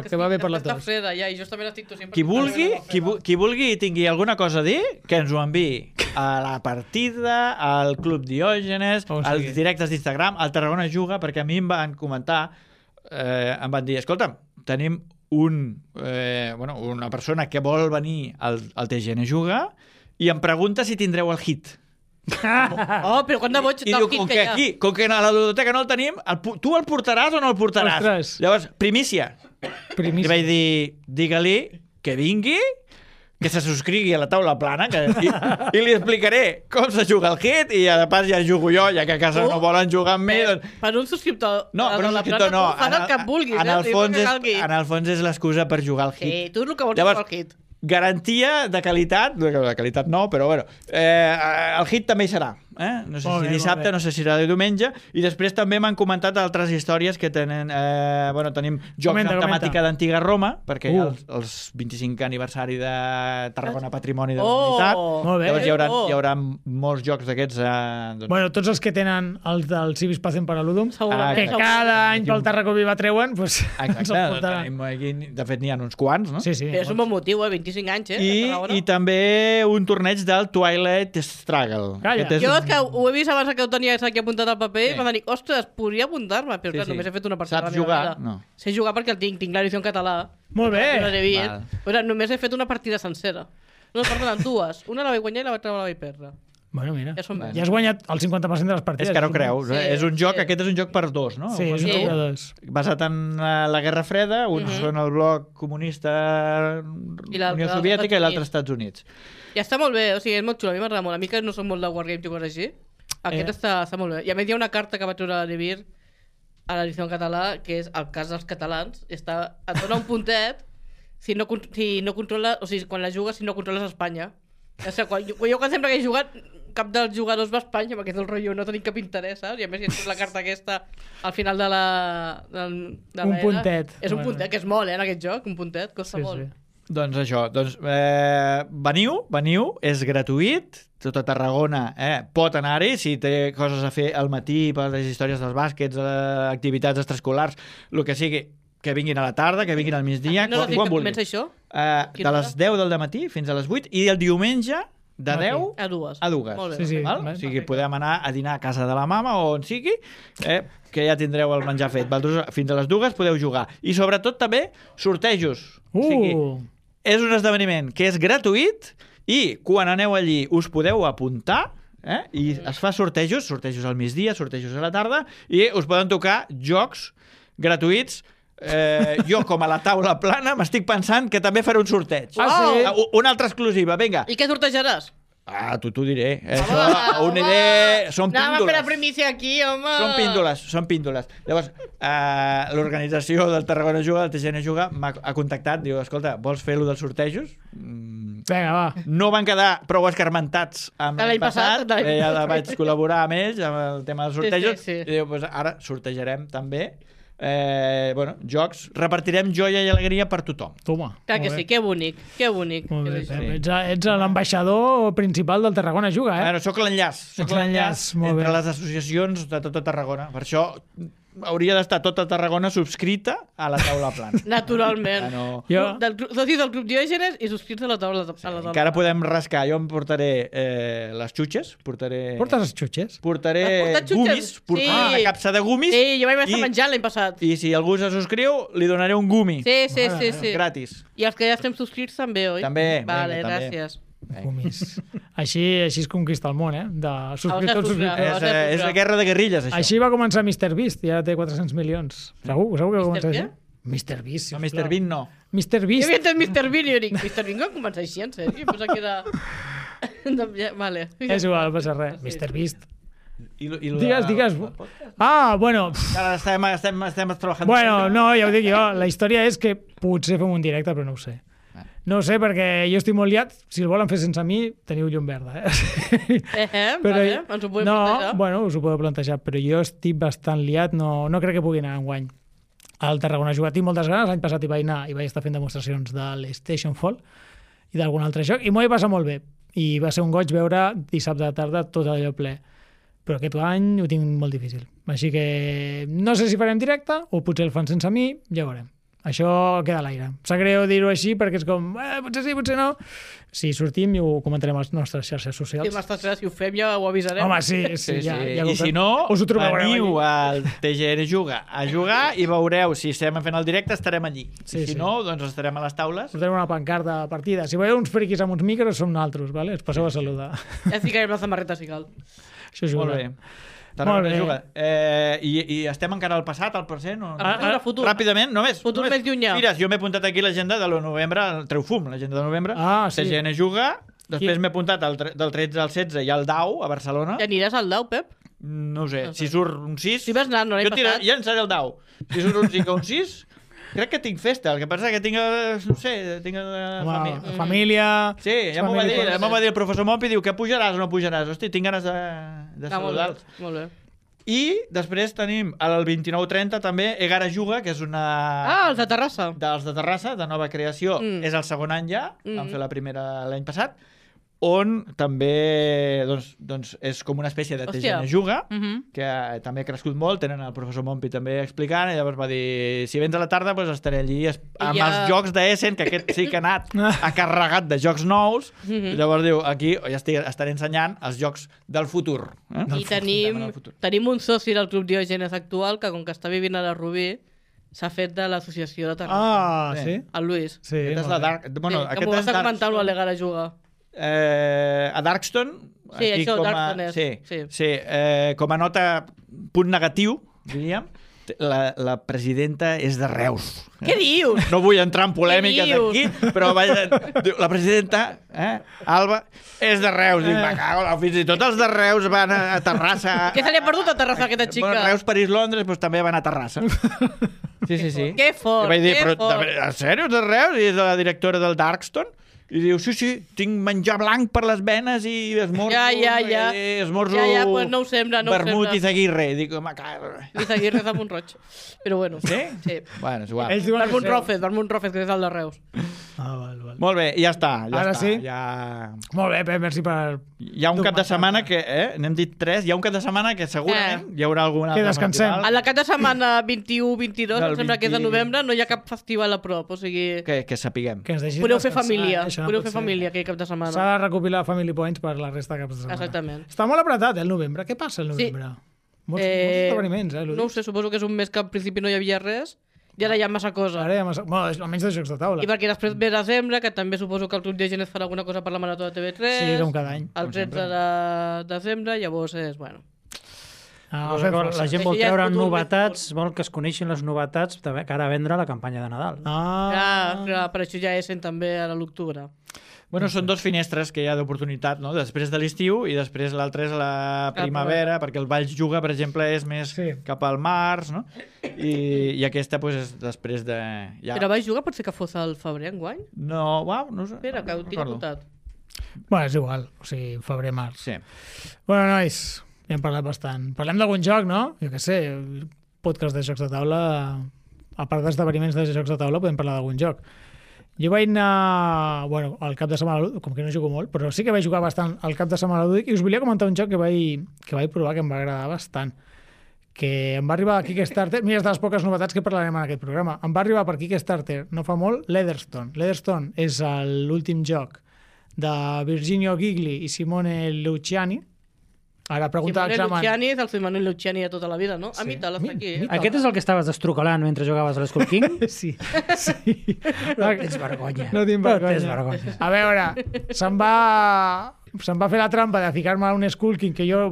que va bé per la Està tos. freda, ja, i justament estic tossint. Qui vulgui i tingui alguna cosa a dir, que ens ho enviï a la partida, al Club Diògenes, als directes d'Instagram, al Tarragona Juga, perquè a mi em van comentar, em van dir, escolta'm, tenim una persona que vol venir al TGN Juga i em pregunta si tindreu el hit. Oh, però quant de boig I diu, com que a la ludoteca no el tenim, tu el portaràs o no el portaràs? Ostres. Llavors, primícia. I vaig dir, digue-li que vingui, que se subscrigui a la taula plana i li explicaré com se juga el hit i de pas ja jugo jo, ja que a casa no volen jugar amb mi. Doncs... Per un subscriptor. No, per un subscriptor no. Fas el que vulguis. En el fons és l'excusa per jugar al hit. Sí, tu és el que vols jugar al hit. Garantia de qualitat, de qualitat no, però bueno, el hit també hi serà. No sé si dissabte, no sé si serà de diumenge, i després també m'han comentat altres històries que tenen, tenim jocs amb temàtica d'antiga Roma, perquè hi ha els 25 aniversari de Tarragona Patrimoni de la Humanitat. Llavors hi haurà molts jocs d'aquests. Bueno, tots els que tenen els del Civis Pacem per a l'Udum, que cada any pel Tarragó Viva treuen, doncs ens el portaran. De fet, n'hi ha uns quants, no? Sí. És un bon motiu, 25 anys, I també un torneig del Twilight Struggle. Calla. Que ho he vist abans que ho tenies aquí apuntat al paper i m'ha dit, ostres, podria apuntar-me, però clar, només he fet una partida. Saps jugar? No. Sé jugar perquè el tinc l'edició en català. Molt bé. Però només he fet una partida sencera. No, perdona, dues. Una la vaig guanyar i l'altra la vaig perdre. Bueno, mira, ja has guanyat el 50% de les partides. És que no creus, és un joc, aquest és un joc per dos, no? Sí, és un joc per dos. Basat en la Guerra Freda, uns són el bloc comunista Unió Soviètica i l'altre Estats Units. I està molt bé, o sigui, és molt xulo, a mi m'agrada molt. A mi que no soc molt de Wargames i coses així, aquest està molt bé. I a més hi ha una carta que va treure a Levir a l'edició en català, que és el cas dels catalans, et dona un puntet si no controles, o sigui, quan la jugues, si no controles Espanya. O sigui, jo quan sempre que he jugat, cap dels jugadors va a Espanya, perquè és el rotllo, no tenim cap interès, saps? I a més, si la carta aquesta al final de un puntet. És un puntet, que és molt, en aquest joc, un puntet, costa molt. Doncs això, veniu, és gratuït, tot a Tarragona pot anar-hi, si té coses a fer al matí per les històries dels bàsquets, activitats extraescolars, el que sigui, que vinguin a la tarda, que vinguin al migdia, quan vulguin. Comença això? De les 10 del matí fins a les 8 i el diumenge de 10 a 2. Molt bé. O sigui, podem anar a dinar a casa de la mama o on sigui, que ja tindreu el menjar fet. Fins a les 2 podeu jugar. I sobretot també sortejos. O sigui, és un esdeveniment que és gratuït i quan aneu allí us podeu apuntar i es fa sortejos al migdia, sortejos a la tarda i us poden tocar jocs gratuïts. Jo, com a la taula plana, m'estic pensant que també faré un sorteig. Una altra exclusiva, vinga. I què sortejaràs? T'ho diré. Són píndoles. Anem a fer la primícia aquí, home. Són píndoles. Llavors, l'organització del Tarragona Juga, del TGN Juga, m'ha contactat, diu, escolta, vols fer-lo dels sortejos? Vinga, va. No van quedar prou escarmentats amb l'any passat. Ja vaig col·laborar amb ells amb el tema dels sortejos. I diu, ara sortejarem també jocs, repartirem joia i alegria per tothom. Toma. Clar que sí, que bonic. Molt bé, ets l'ambaixador principal del Tarragona Juga, Soc l'enllaç entre les associacions de tota Tarragona. Per això hauria d'estar tota Tarragona subscrita a la taula plana. Naturalment. No. Socis del Club Diògenes i subscrits a la taula. Encara podem rascar. Jo em portaré les xutxes, portaré Portes els xutxes? Has portat xutxes? gumis, portaré Sí. una capsa de gumis Sí, jo vaig estar menjant l'any passat. i si algú se subscriu, li donaré un gumi. Sí. Gratis. I els que ja estem subscrits també, oi? També, Vale, vinga, també. gràcies. Gomis. Així es conquista el món, de subscriptors. És la guerra de guerrilles, això. Així va començar MrBeast i ara té 400 milions. Segur que va començar què? així? MrBeast, No, Mr. Bean no. Jo MrBeast. havia entès Mr. Bean i jo dic, Mr. Bean com comença així, en sèrio? Pensava que era... Vale. És igual, no passa res. MrBeast. Digues. Bueno... Ara estem treballant. Bueno, no, ja ho dic jo. La història és que potser fem un directe, però no ho sé. No ho sé, perquè jo estic molt liat. Si el volen fer sense mi, teniu llum verda, Vale, ens ho podem plantejar. Bueno, us ho podeu plantejar, però jo estic bastant liat, no crec que pugui anar enguany al Tarragona a jugar. Tinc moltes ganes, l'any passat hi vaig anar i vaig estar fent demostracions de l'Station Fall i d'algun altre joc, i m'ho vaig passar molt bé. I va ser un goig veure dissabte de tarda tot allò ple. Però aquest any ho tinc molt difícil. Així que no sé si farem directe o potser el fan sense mi, ja veurem. Això queda a l'aire. Sap greu dir-ho així perquè és com, potser sí, potser no. Si sortim i ho comentarem a les nostres xarxes socials. Si ho fem ja ho avisarem. Home, sí. Ja I si no, us ho trobareu veniu allí. al TGN Juga a jugar i veureu si estem fent el directe, estarem allí. Sí, Si no, doncs estarem a les taules. Portarem una pancarta de partida. Si veieu uns friquis amb uns micros, som nosaltres, vale? Us passeu a saludar. Ja ficarem la samarreta si cal. Això és Molt bé. Molt bé. Juga. I estem encara al passat, al present? O... Ara, futur. Ràpidament, només. Futur més llunyà. Mira, jo m'he apuntat aquí l'agenda de novembre, el Treufum, l'agenda de novembre. Sí. TGN Juga. Després m'he apuntat del 13 al 16 i al DAU, a Barcelona. Ja aniràs al Dau, Pep? No sé, si surt un 6... Si vas anar, no l'any passat. Ja en seré el DAU. Si surt un 5 o un 6... Crec que tinc festa, el que passa que tinc, no sé, tinc família... Sí, ja m'ho va dir el professor Mompi, diu que pujaràs o no pujaràs. Hosti, tinc ganes de saludar-los. Molt bé. I després tenim el 29-30 també Egara Juga, que és una... Els de Terrassa. Dels de Terrassa, de nova creació. És el segon any ja, vam fer la primera l'any passat, on també doncs és com una espècie de TGN Juga, que també ha crescut molt, tenen el professor Mompi també explicant, i llavors va dir, si vens a la tarda doncs estaré allí amb els jocs d'Essen, que aquest sí que ha anat carregat de jocs nous, i llavors diu, aquí estaré ensenyant els jocs del futur. I tenim un soci del Club Diògenes actual, que com que està vivint a la Rubí, s'ha fet de l'associació de Terrassa. Sí? El Luis. Sí, Aquest és la Dark... Bueno, que m'ho vas a comentar amb l'Egara Juga. A Darkston sí, això, Darkston com a nota punt negatiu, diríem, la presidenta és de Reus. Què dius? No vull entrar en polèmiques aquí, però la presidenta, Alba, és de Reus. Dic, me cago, fins i tot els de Reus van a Terrassa. Què se li ha perdut a Terrassa, aquesta xica? Bueno, Reus, París, Londres, doncs també van a Terrassa. Sí. Que fort, que fort. En sèrio, de Reus? I és la directora del Darkston? I diu, sí, tinc menjar blanc per les venes i esmorzo... Esmorzo... pues no ho sembla, vermut i zaguirre. I dic, home, I zaguirre de Montroig. Però bueno. Sí? Sí. Bueno, és igual. Vermut Rofes, que és el de Reus. Val. Molt bé, ja està. Ara sí? Molt bé, Pep, merci per... Hi ha un cap de setmana que, n'hem dit 3, hi ha un cap de setmana que segurament hi haurà alguna... Que descansem. A la cap de setmana 21-22, em sembla que és de novembre, no hi ha cap festival a prop, o sigui... Que sapiguem. Podeu fer família. Podeu fer família aquell cap de setmana. S'ha de recopilar Family Points per la resta de caps de setmana. Exactament. Està molt apretat, el novembre. Què passa el novembre? Molts esdeveniments, no ho sé, suposo que és un mes que al principi no hi havia res i ara hi ha massa cosa. Ara hi ha massa... Bueno, almenys de jocs de taula. I perquè després ve desembre, que també suposo que el Club Diògenes farà alguna cosa per la Marató de TV3. Sí, com cada any. El 13 de desembre, llavors és, bueno... La gent vol treure novetats, vol que es coneixin les novetats que ara vendrà la campanya de Nadal. Clar, per això ja Essen també a l'octubre. Bueno, són dos finestres que hi ha d'oportunitat, no? Després de l'estiu i després l'altre és la primavera, perquè el Valls Juga, per exemple, és més cap al març, no? I aquesta, doncs, és després de... Però Valls Juga pot ser que fos al febrer, enguany? No, no sé. Espera, que ho tinc apuntat. Bueno, és igual, o sigui, febrer-març. Sí. Bueno, nois, ja hem parlat bastant. Parlem d'algun joc, no? Jo què sé, podcast de jocs de taula, a part d'esdeveniments de jocs de taula, podem parlar d'algun joc. Jo vaig anar, bueno, al cap de setmana, com que no jugo molt, però sí que vaig jugar bastant al cap de setmana lúdic i us volia comentar un joc que vaig provar que em va agradar bastant, que em va arribar a Kickstarter, mira, és de les poques novetats que parlarem en aquest programa, em va arribar per Kickstarter no fa molt Leatherstone. Leatherstone és l'últim joc de Virginio Gigli i Simone Luciani. Ara, pregunta Simone d'examen. Luciani és el Simone Luciani de tota la vida, no? A mi tal, està aquí. Aquest és el que estaves estrucalant mentre jugaves a l'Skull King? Sí, sí. No tens vergonya. No tinc vergonya. tens vergonya. A veure, se'm va fer la trampa de ficar-me a un Skull King que jo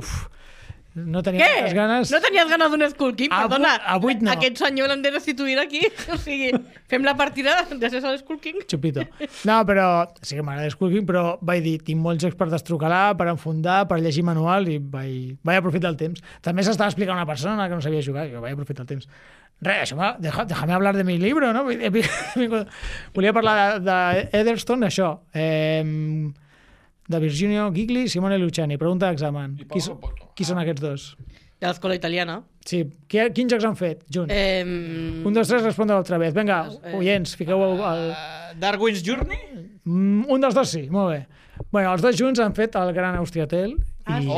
no tenia Què? moltes ganes. No tenies ganes d'un Skull King? Perdona, A 8 no. aquest senyor l'hem de restituir aquí. O sigui, fem la partida gràcies a l'Skull King. Chupito. No, però sí que m'agrada Skull King, però vaig dir, tinc molts jocs per destrucalar, per enfundar, per llegir manual i vaig aprofitar el temps. També s'estava explicant una persona que no sabia jugar i jo vaig aprofitar el temps. Res, això déjame hablar de mi libro, no? Volia parlar de Leatherstone, això. De Virginio Gigli i Simone Luciani. Pregunta d'examen. Qui són aquests dos? De l'escola italiana. Sí. Quins jocs han fet junts? 1, 2, 3, respondre l'altra vegada. Vinga, oients, fiqueu el... Darwin's Journey? Un dels dos sí, molt bé. Bueno, els dos junts han fet el Gran Austriatel Ah, i sí.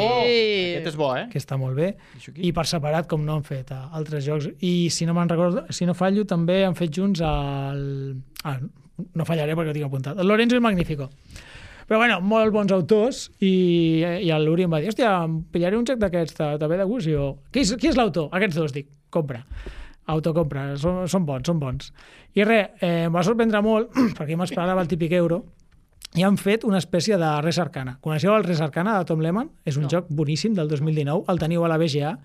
Aquest és bo, que està molt bé. Això aquí? I per separat, com no han fet altres jocs. I si no me'n recordo, si no fallo, també han fet junts el... no fallaré perquè ho tinc apuntat. El Lorenzo il Magnifico. Però bueno, molt bons autors i l'Uri em va dir, hòstia, em pillaré un joc d'aquests, te ve de gust? I jo, qui és l'autor? Aquests dos, dic, compra. Autocompra, són bons. I res, em va sorprendre molt, perquè m'esperava el típic euro, i han fet una espècie de Res Arcana. Coneixeu el Res Arcana de Tom Lehmann? És un joc boníssim del 2019, el teniu a la BGA,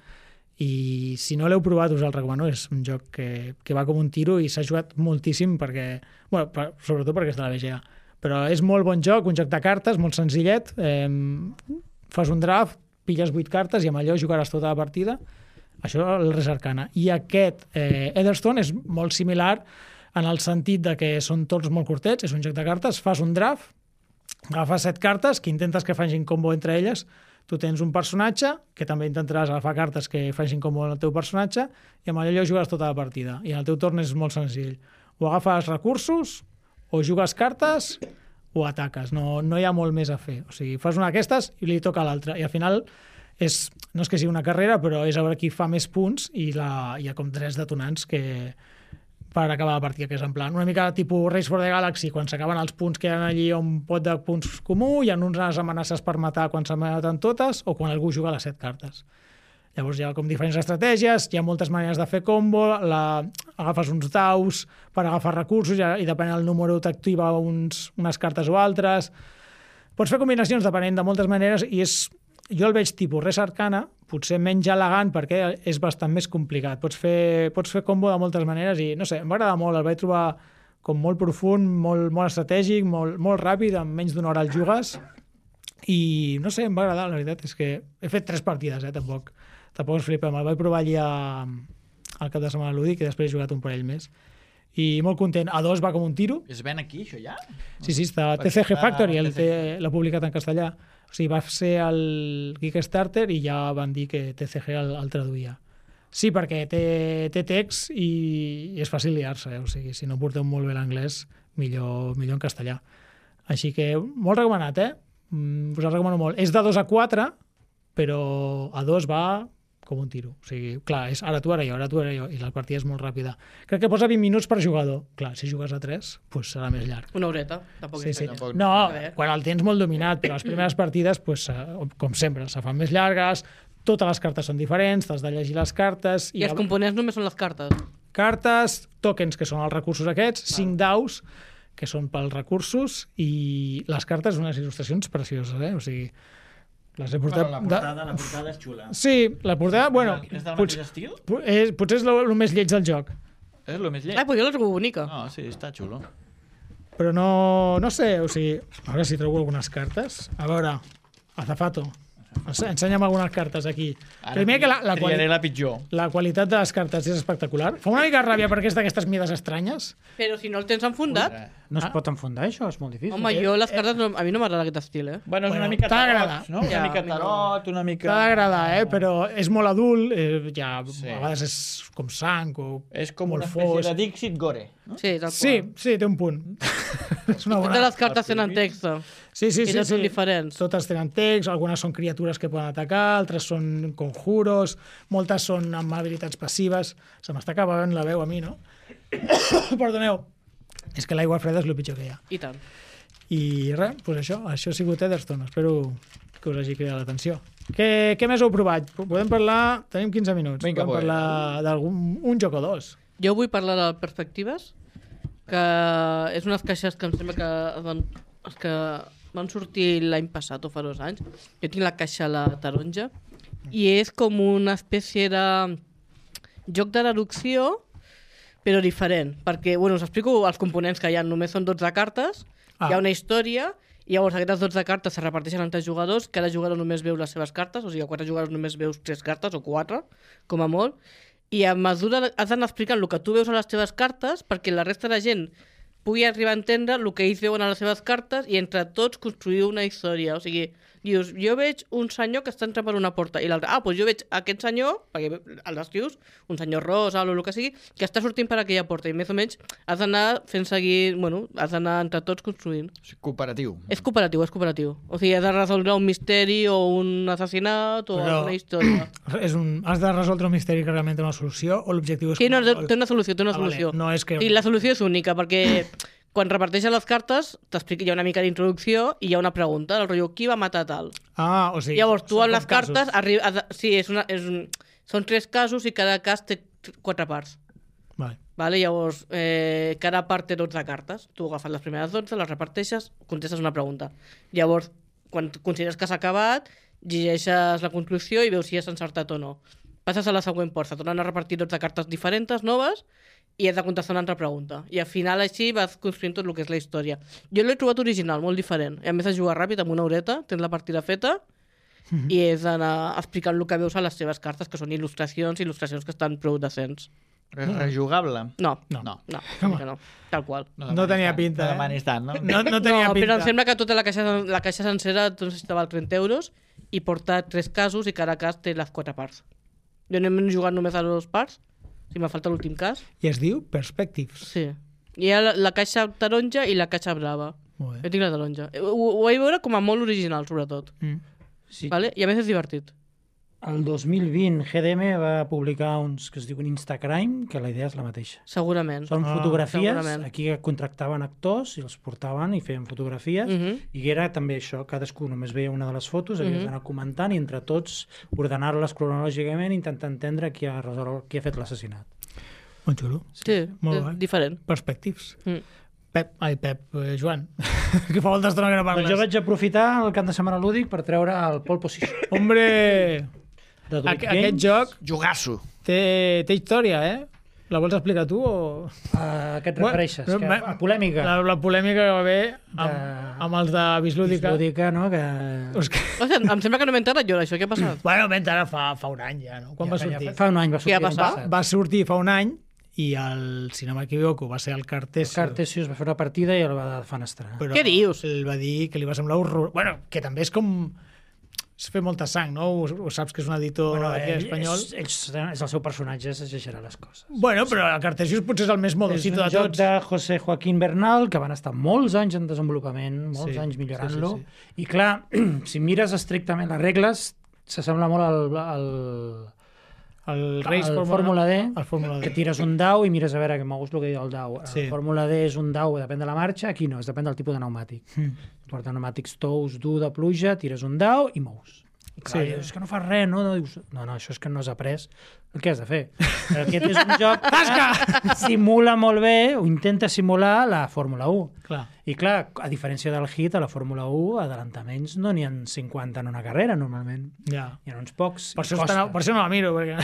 i si no l'heu provat us el recomano, és un joc que va com un tiro i s'ha jugat moltíssim perquè, bueno, sobretot perquè és de la BGA. Però és molt bon joc, un joc de cartes, molt senzillet, fas un draft, pilles 8 cartes i amb allò jugaràs tota la partida. Això és el Res Arcana. I aquest Leatherstone és molt similar en el sentit de que són tots molt curtets, és un joc de cartes, fas un draft, agafes 7 cartes que intentes que facin combo entre elles, tu tens un personatge que també intentaràs agafar cartes que facin combo en el teu personatge i amb allò jugaràs tota la partida. I en el teu torn és molt senzill. O agafes recursos, o jugues cartes o ataques, no hi ha molt més a fer. O sigui, fas una d'aquestes i li toca a l'altra. I al final no és que sigui una carrera, però és a veure qui fa més punts i hi ha com 3 detonants que per acabar la partida, que és en plan una mica tipus Race for the Galaxy, quan s'acaben els punts que hi ha allí un pot de punts comú, hi ha unes amenaces per matar quan se maten totes o quan algú juga les 7 cartes. Llavors hi ha com diferents estratègies, hi ha moltes maneres de fer combo, agafes uns daus per agafar recursos i depenent del número t'activa unes cartes o altres. Pots fer combinacions depenent de moltes maneres i jo el veig tipus Res Arcana, potser menys elegant perquè és bastant més complicat. Pots fer combo de moltes maneres i no sé, em va agradar molt, el vaig trobar com molt profund, molt estratègic, molt ràpid, en menys d'una hora el jugues i no sé, em va agradar, la veritat és que he fet 3 partides, tampoc es flipa, me'l vaig provar allà al cap de setmana lúdic i després he jugat un parell més. I molt content. A 2 va com un tiro. Es ven aquí, això ja? Sí, està a TCG Factory, l'ha publicat en castellà. O sigui, va ser el Kickstarter i ja van dir que TCG el traduïa. Sí, perquè té text i és fàcil liar-se, O sigui, si no porteu molt bé l'anglès, millor en castellà. Així que molt recomanat, Us el recomano molt. És de 2 a 4, però a 2 va com un tiro. O sigui, clar, és ara tu, ara jo, i la partida és molt ràpida. Crec que posa 20 minuts per jugador. Clar, si jugues a 3, doncs serà més llarg. Una horeta, tampoc Sí. Tampoc. No, quan el tens molt dominat, però les primeres partides, com sempre, se fan més llargues, totes les cartes són diferents, t'has de llegir les cartes... I els components només són les cartes. Cartes, tokens, que són els recursos aquests, 5 daus, que són pels recursos, i les cartes, unes il·lustracions precioses, O sigui, les he portat... La portada és xula. Sí, la portada, bueno... És del mateix estil? Potser és el més lleig del joc. És el més lleig. Ai, pues jo l'he bonica. No, sí, està xulo. Però no sé, o sigui... A veure si trobo algunes cartes. A veure, Azafato, ensenya'm algunes cartes aquí. Primer que triaré la pitjor. la qualitat de les cartes és espectacular. Fa una mica ràbia perquè és d'aquestes mides estranyes. Però si no el tens enfundat... No es pot enfundar, això? És molt difícil. Home, jo les cartes... A mi no m'agrada aquest estil, Bueno, és Bueno, una mica t'ha tarot, d'agradat. no? Ja, Una mica a mi no. tarot, una mica... T'ha d'agradar, però és molt adult, ja Sí. a vegades és com sang o... És com molt una espècie fos. de Dixit Gore. No? Sí, tal qual. Sí, té un punt. És una Totes bona... les cartes tenen text. Sí, I tots són diferents. Totes tenen text, algunes són criatures que poden atacar, altres són conjuros, moltes són amb habilitats passives. Se m'està acabant la veu a mi, no? Perdoneu. És que l'aigua freda és el pitjor que hi ha. I tant. I res, doncs això ha sigut Etherstone. Espero que us hagi cridat l'atenció. Què més heu provat? Podem parlar... Tenim 15 minuts. Vinga, podem parlar d'un joc o dos. Jo vull parlar de Perspectives, que és unes caixes que em sembla que van sortir l'any passat o fa 2 anys. Jo tinc la caixa la taronja i és com una espècie de joc de deducció, però diferent, perquè, us explico els components que hi ha. Només són 12 cartes, hi ha una història, i llavors aquestes 12 cartes se reparteixen entre jugadors, cada jugador només veu les seves cartes, o sigui, a 4 jugadors només veus 3 cartes, o 4, com a molt, i a mesura has d'anar explicant el que tu veus a les teves cartes perquè la resta de gent pugui arribar a entendre el que ells veuen a les seves cartes i entre tots construir una història. O sigui, dius, jo veig un senyor que està entrant per una porta i l'altre, doncs jo veig aquest senyor, perquè el descrius, un senyor rosa o el que sigui, que està sortint per aquella porta i més o menys has d'anar fent seguir, has d'anar entre tots construint. És cooperatiu. És cooperatiu. O sigui, has de resoldre un misteri o un assassinat o una història. Has de resoldre un misteri que realment té una solució o l'objectiu és... Sí, no, té una solució. Vale. No és que... I la solució és única, perquè quan reparteixen les cartes, t'explica, hi ha una mica d'introducció i hi ha una pregunta, el rotllo, qui va matar tal? O sigui... Llavors, tu amb les cartes... Sí, són 3 casos i cada cas té 4 parts. Vale? Llavors, cada part té 12 cartes. Tu agafes les primeres 12, les reparteixes, contestes una pregunta. Llavors, quan consideres que s'ha acabat, llegeixes la conclusió i veus si has encertat o no. Passes a la següent porta, tornen a repartir 12 cartes diferents, noves, i has de contestar una altra pregunta. I al final així vas construint tot el que és la història. Jo l'he trobat original, molt diferent. I a més de jugar ràpid, amb una horeta, tens la partida feta, i és d'anar explicant el que veus a les teves cartes, que són il·lustracions que estan prou decents. Rejugable? No. Tal qual. No tenia pinta, No demanis tant, no? No tenia pinta. Però em sembla que tota la caixa sencera estava als 30 euros i porta 3 casos i cada cas té les 4 parts. Jo no he jugat només a 2 parts, si me falta l'últim cas. I es diu Perspectives. Sí. Hi ha la caixa taronja i la caixa blava. Molt bé. Jo tinc la taronja. Ho vaig veure com a molt original, sobretot. Sí. Vale? I a més és divertit. El 2020 GDM va publicar uns que es diuen Instacrime, que la idea és la mateixa. Segurament. Són fotografies, segurament. aquí contractaven actors i els portaven i feien fotografies, i era també això, cadascú només veia una de les fotos, havies d'anar comentant i entre tots ordenar-les cronològicament i intentar entendre qui ha fet l'assassinat. Molt xulo. Sí, molt és bé. diferent. Perspectives. Joan, que fa molta estona que no parles. Doncs jo vaig aprofitar el cap de setmana lúdic per treure el pole position. Hombre! De Druid Aquest Games. joc Jugasso. té història, eh? La vols explicar tu o...? A què et refereixes? A polèmica? La polèmica que va haver amb els de Bislúdica. Bislúdica, no? Que... Hòstia, em sembla que no m'he enterat jo d'això. Què ha passat? Bueno, ara fa un any ja, no? Quan va sortir? Fa un any va sortir. Què ha passat? Va sortir fa un any i si no m'equivoco va ser el Cartesius. El Cartesius va fer una partida i el va defenestrar. Què dius? Ell va dir que li va semblar horror... Bueno, que també és com... Es fer molta sang, no? Ho saps que és un editor aquí espanyol. És el seu personatge, s'exagerarà les coses. Bueno, però el Cartesius potser és el més modocito de tots. És un joc de José Joaquín Bernal, que van estar molts anys en desenvolupament, molts anys millorant-lo. Sí. I clar, si mires estrictament les regles, s'assembla molt al Fórmula D, que tires un dau i mires a veure què mous el que diu el dau. El Fórmula D és un dau, depèn de la marxa, aquí no, depèn del tipus de pneumàtic. Porta pneumàtics tous, dur de pluja, tires un dau i mous. I clar, dius que no fas res, no? Dius, no, això és que no has après el que has de fer. Aquest és un joc que simula molt bé, o intenta simular la Fórmula 1. Clar. I clar, a diferència del Hit, a la Fórmula 1, adelantaments no n'hi ha 50 en una carrera, normalment. Ja. Hi ha uns pocs. Per això no la miro, perquè...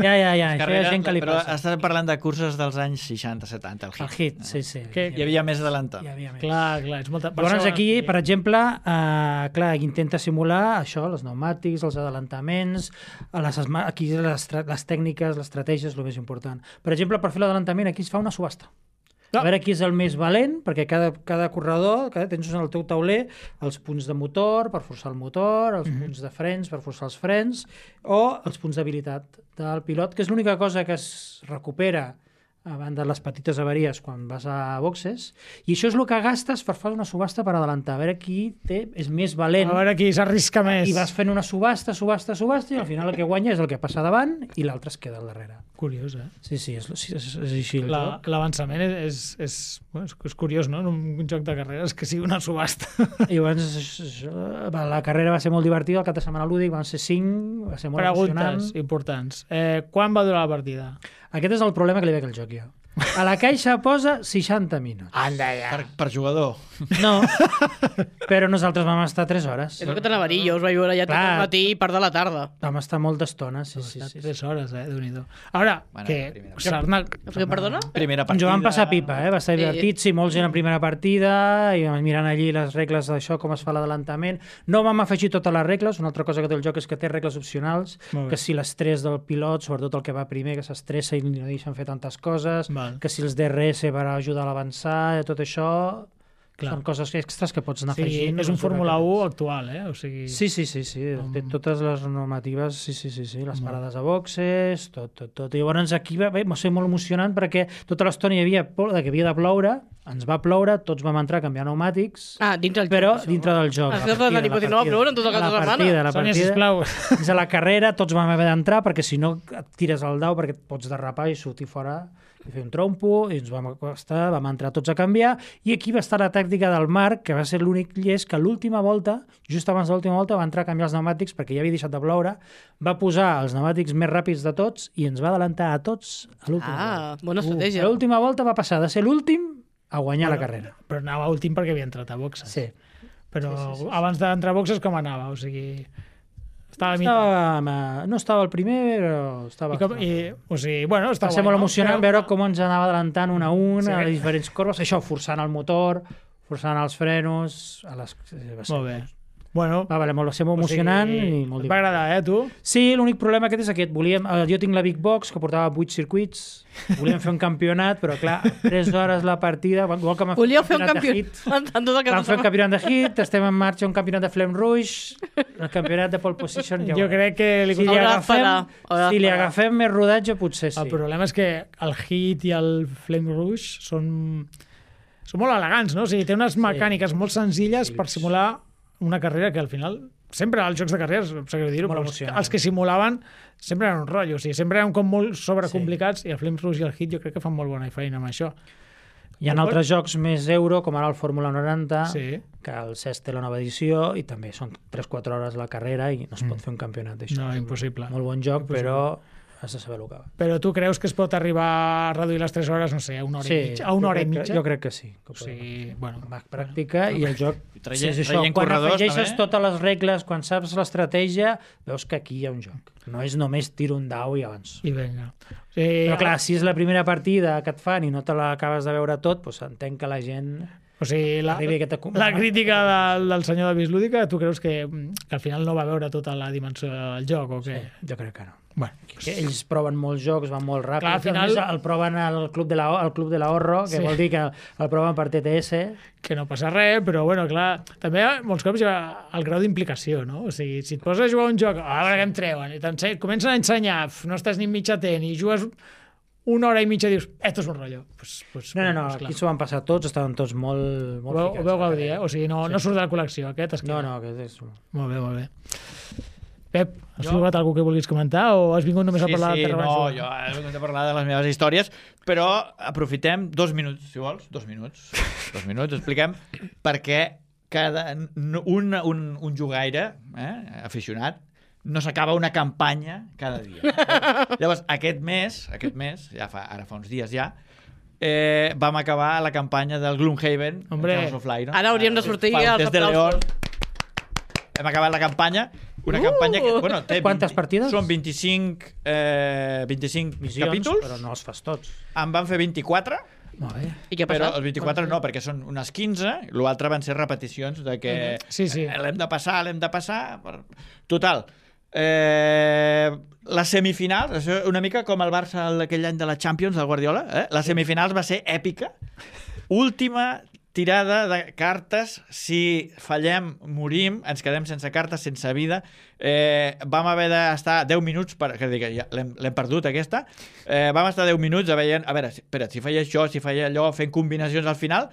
Ja, això hi ha gent que li però passa. estàs parlant de curses dels anys 60-70, el Hit. El Hit, sí. Hi havia més adelantat. Hi havia més. Clar, és molta... Llavors aquí, per exemple, intenta simular això, els pneumàtics, els adelantaments, aquí les tècniques, l'estratègia és el més important. Per exemple, per fer l'adelantament aquí es fa una subhasta. A veure qui és el més valent, perquè cada corredor, tens en el teu tauler els punts de motor per forçar el motor, els punts de frens per forçar els frens, o els punts d'habilitat del pilot, que és l'única cosa que es recupera a banda les petites avaries quan vas a boxes, i això és el que gastes per fer una subhasta per adelantar, a veure qui és més valent. A veure qui s'arrisca més. I vas fent una subhasta, i al final el que guanya és el que passa davant i l'altre es queda al darrere. Curiós, eh? Sí, és així el joc. L'avançament és curiós, no? En un joc de carreres que sigui una subhasta. I llavors la carrera va ser molt divertida, el cap de setmana lúdic van ser 5, va ser molt emocionant. Preguntes importants. Quan va durar la partida? Aquest és el problema que li veig al joc, jo. A la caixa posa 60 minuts. Anda, ja. Per jugador. No, però nosaltres vam estar 3 hores. És el que t'anava a dir, jo us vaig veure ja tot el matí i part de la tarda. Vam estar molta estona, sí. 3 hores, Déu-n'hi-do. Ara, Perdona? Primera Ens ho partida. vam passar pipa, va estar divertit, sí, molts gent en primera partida, i mirant allí les regles d'això, com es fa l'adelantament. No vam afegir totes les regles, una altra cosa que té el joc és que té regles opcionals, que si l'estrès del pilot, sobretot el que va primer, que s'estressa i no deixen fer tantes coses, que si els DRS per ajudar a l'avançar, tot això... Clar. Són coses extras que pots anar afegint. És un Fórmula 1 actual, eh? O sigui... Sí. Té totes les normatives, sí. Les parades a boxes, tot. I llavors aquí va ser molt emocionant perquè tota l'estona hi havia por que havia de ploure, ens va ploure, tots vam entrar a canviar pneumàtics, dintre del joc. No ploure en tota la setmana. Sònia, sisplau. Fins a la carrera tots vam haver d'entrar perquè si no et tires el dau perquè et pots derrapar i sortir fora i fer un trompo, i ens vam acostar, vam entrar tots a canviar, i aquí va estar la tàctica del Marc, que va ser l'únic llest que l'última volta, just abans de l'última volta, va entrar a canviar els pneumàtics perquè ja havia deixat de ploure, va posar els pneumàtics més ràpids de tots i ens va adelantar a tots a l'última volta. Bona estratègia. L'última volta va passar de ser l'últim a guanyar la carrera. Però anava últim perquè havia entrat a boxes. Sí. Però abans d'entrar a boxes com anava? O sigui... No estava el primer, però estava... Va ser molt emocionant veure com ens anava adelantant un a un a les diferents corbes, això, forçant el motor, forçant els frenos... Molt bé. Bueno, va ser molt emocionant i molt divertit. Va agradar, tu? Sí, l'únic problema aquest és aquest. Jo tinc la Big Box, que portava 8 circuits, volíem fer un campionat, però clar, 3 hores la partida... Volíeu fer un campionat? Vam fer un campionat de hit, estem en marxa un campionat de Flame Rouge, el campionat de pole position... Jo crec que si li agafem més rodatge, potser sí. El problema és que el hit i el Flame Rouge són molt elegants, no? O sigui, té unes mecàniques molt senzilles per simular una carrera que al final, sempre als jocs de carreres, els que simulaven sempre eren un rotllo, o sigui, sempre eren com molt sobrecomplicats, i el Flames Rouge i el Hit jo crec que fan molt bona feina amb això. Hi ha altres jocs més euro, com ara el Fórmula 90, que el CES té la nova edició, i també són 3-4 hores la carrera i no es pot fer un campionat d'això. No, impossible. Molt bon joc, però has de saber el que va. Però tu creus que es pot arribar a reduir les 3 hores, no sé, a una hora i mitja? Jo crec que sí. O sigui, bueno... Pràctica i el joc... Quan afegeixes totes les regles, quan saps l'estratègia, veus que aquí hi ha un joc. No és només tiro un dau i avanço. I vinga. Però clar, si és la primera partida que et fan i no te l'acabes de veure tot, doncs entenc que la gent... O sigui, la crítica del senyor de Bislúdica, tu creus que al final no va veure tota la dimensió del joc o què? Sí, jo crec que no. Bueno, ells proven molts jocs, van molt ràpid. Clar, al final... el proven al Club de l'Ahorro, que vol dir que el proven per TTS. Que no passa res, però bueno, clar, també molts cops hi ha el grau d'implicació, no? O sigui, si et poses a jugar un joc, a veure què em treuen, i comencen a ensenyar, no estàs ni mitja tent, i jugues una hora i mitja i dius, esto és un rotllo. No, aquí s'ho van passar tots, estaven tots molt ficats. Ho veu gaudir, eh? O sigui, no surt de la col·lecció, aquest es queda. No, aquest és... Molt bé. Pep, has trobat alguna que vulguis comentar o has vingut només a parlar de Terra Baixo? Jo he vingut a parlar de les meves històries, però aprofitem 2 minuts, si vols, 2 minuts, expliquem per què un jugaire aficionat no s'acaba una campanya cada dia. Llavors, aquest mes, ara fa uns dies ja, vam acabar la campanya del Gloomhaven, House of Light. Ara hauríem de sortir als aplausos. Hem acabat la campanya, una campanya que té... Quantes partides? Són 25 missions, capítols. Però no els fas tots. En van fer 24. Molt bé. I què ha passat? Però els 24 no, perquè són unes 15, l'altre van ser repeticions de que l'hem de passar. Total. Les semifinals, això una mica com el Barça aquell any de la Champions del Guardiola, les semifinals va ser èpica. Última tirada de cartes. Si fallem, morim, ens quedem sense cartes, sense vida. Vam haver d'estar 10 minuts, ja l'hem perdut aquesta, vam estar 10 minuts a veure, espera, si feia això, si feia allò, fent combinacions al final.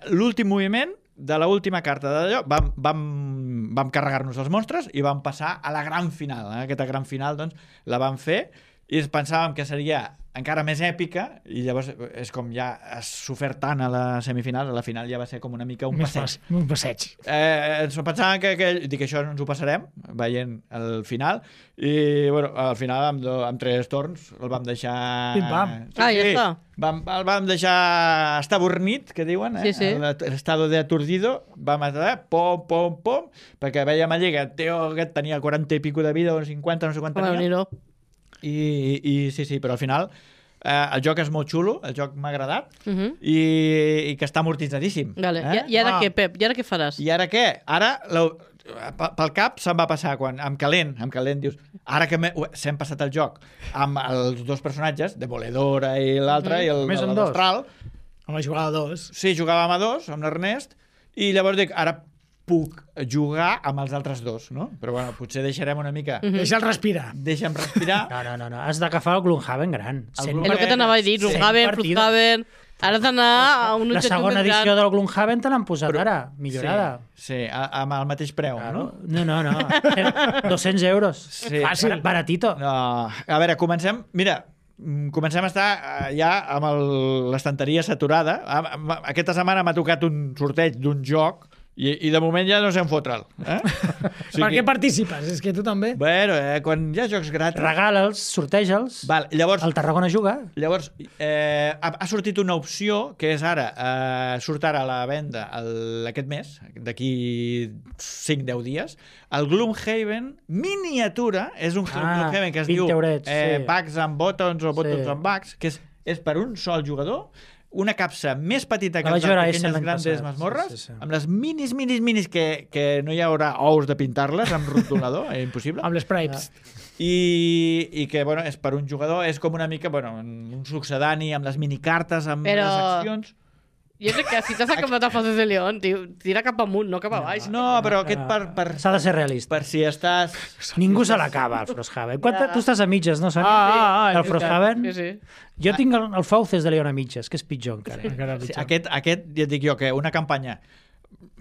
L'últim moviment de l'última carta d'allò, vam carregar-nos els monstres i vam passar a la gran final. Aquesta gran final, doncs, la vam fer i pensàvem que seria encara més èpica i llavors és com ja has sofert tant a la semifinal, a la final ja va ser com una mica un passeig. Un passeig. Ens pensàvem que dic, això no ens ho passarem veient el final i bueno, al final amb 3 torns el vam deixar... Pim-pam. Ja està. El vam deixar estabornit, que diuen, l'estado de aturdido, vam estar pom, perquè veiem allí que el tio aquest tenia 40 i pico de vida, o 50, no sé quant tenia. I sí, però al final el joc és molt xulo, el joc m'ha agradat i que està amortitzadíssim. Vale. I ara què, Pep? I ara què faràs? I ara què? Ara pel cap se'm va passar quan amb calent dius, ara que s'hem passat el joc amb els 2 personatges, Demoledora i l'altre, i el Destral. Home, jugava a 2. Sí, jugàvem a 2 amb l'Ernest i llavors dic, ara puc jugar amb els altres 2, no? Però bueno, potser deixarem una mica... Deixa'l respirar. Deixa'm respirar. No. Has d'agafar el Gloomhaven gran. És el que t'anava a dir, Gloomhaven. Ara has d'anar a un objectiu. La segona edició del Gloomhaven te l'han posat ara, millorada. Sí, amb el mateix preu, no? No. 200 euros. Sí. Fàcil. Baratito. No. A veure, comencem a estar ja amb l'estanteria saturada. Aquesta setmana m'ha tocat un sorteig d'un joc i de moment ja no sé on fotre'l. Per què participes? És que tu també. Bueno, quan hi ha jocs gratis... Regala'ls, sorteja'ls. Llavors, el Tarragona juga. Llavors, ha sortit una opció que és ara, surt ara a la venda aquest mes, d'aquí 5-10 dies, el Gloomhaven miniatura, és un Gloomhaven que es diu Bugs and Buttons o Buttons and Bugs, que és per un sol jugador, una capsa més petita que les pequeñas grandes mazmorres, amb les minis que no hi haurà ous de pintar-les amb rotulador, impossible. Amb les sprites. I que, bueno, és per un jugador, és com una mica, bueno, un succedani amb les minicartes, amb les accions... Jo crec que si t'has acabat a fases de León, tira cap amunt, no cap a baix. No, però aquest s'ha de ser realista. Per si estàs... Ningú se l'acaba, el Frosthaven. Tu estàs a mitges, no, Sònia? El Frosthaven? Sí. Jo tinc el Fauces de León a mitges, que és pitjor encara. Aquest, ja et dic jo, que una campanya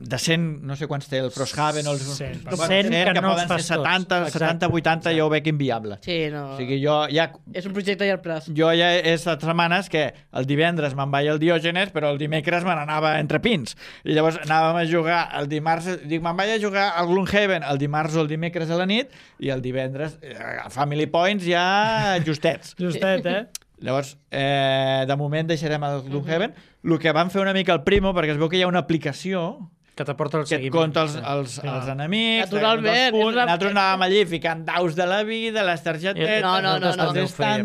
de 100, no sé quants té el Frosthaven o els 100, que poden ser 70, 80, jo ho veig inviable. Sí, no. O sigui, jo ja... És un projecte a llarg plaç. Jo ja he estat setmanes que el divendres me'n vaig al Diògenes, però el dimecres me n'anava entre pins. I llavors anàvem a jugar el dimarts... Dic, me'n vaig a jugar al Gloomhaven el dimarts o el dimecres a la nit i el divendres, Family Points ja justets. Justet, Llavors, de moment deixarem el Gloomhaven. El que vam fer una mica el Primo, perquè es veu que hi ha una aplicació que t'aporta el seguiment. Que et compta els enemics. Naturalment. Nosaltres anàvem allí ficant daus de la vida, les targetetes... No.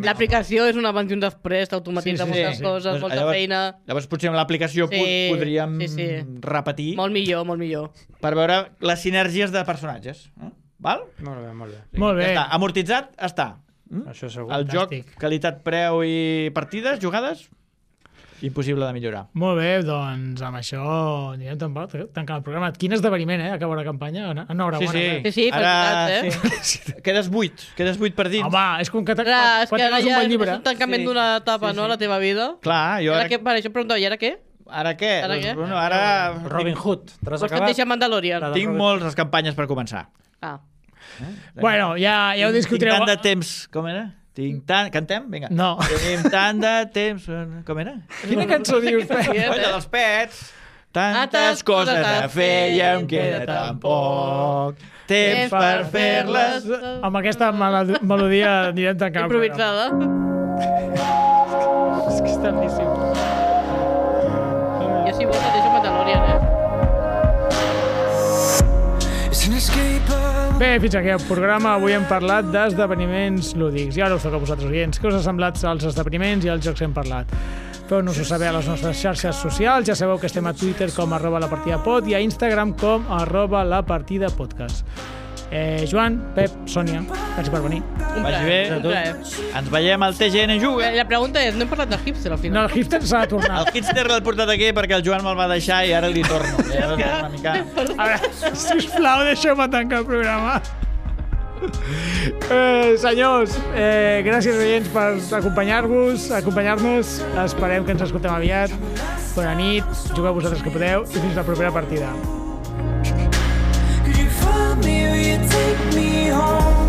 L'aplicació és un abans i un després, t'automatitza moltes coses, molta feina... Llavors potser amb l'aplicació podríem repetir... Molt millor. Per veure les sinergies de personatges. Val? Molt bé. Molt bé. Ja està. Amortitzat, està. Això segur. El joc, qualitat, preu i partides, jugades... Impossible de millorar. Molt bé, doncs amb això anirem tancant el programa. Quin esdeveniment, acabar la campanya? Enhorabona. Sí, felicitats, Quedes 8 per dins. Home, és com que quan tens un bon llibre. És un tancament d'una etapa, no?, a la teva vida. Clar, jo ara... Això em preguntava, i ara què? Ara què? Bueno, ara... Robin Hood. Vols que et deixa Mandalorian? Tinc moltes campanyes per començar. Bueno, ja ho discutireu. Tinc tant de temps... Com era? Cantem? Vinga. No. Tenim tant de temps... Com era? Quina cançó dius? Colla dels pets. Tantes coses a fer i em queda tan poc temps per fer-les. Amb aquesta melodia anirem tancant. Improvisada. És que és tantíssim. Jo si vols et deixo Mandalorian, Bé, fins aquí el programa. Avui hem parlat d'esdeveniments lúdics. I ara us toca a vosaltres, oients. Què us ha semblat els esdeveniments i els jocs que hem parlat? Feu-nos-ho saber a les nostres xarxes socials. Ja sabeu que estem a Twitter com @lapartidapod i a Instagram com @lapartidapodcast. Joan, Pep, Sònia, gràcies per venir. Vagi bé. Un plaer. Ens veiem al TGN Juga. La pregunta és, no hem parlat del hipster al No, final? el hipster s'ha de tornar. El hipster l'he portat aquí perquè el Joan me'l va deixar i ara li torno. I ara una mica... A veure, sisplau, deixeu-me tancar el programa. Senyors, gràcies oients per acompanyar-nos. Esperem que ens escoltem aviat. Bona nit, jugueu vosaltres que podeu i fins la propera partida. Could you find me or you take me home?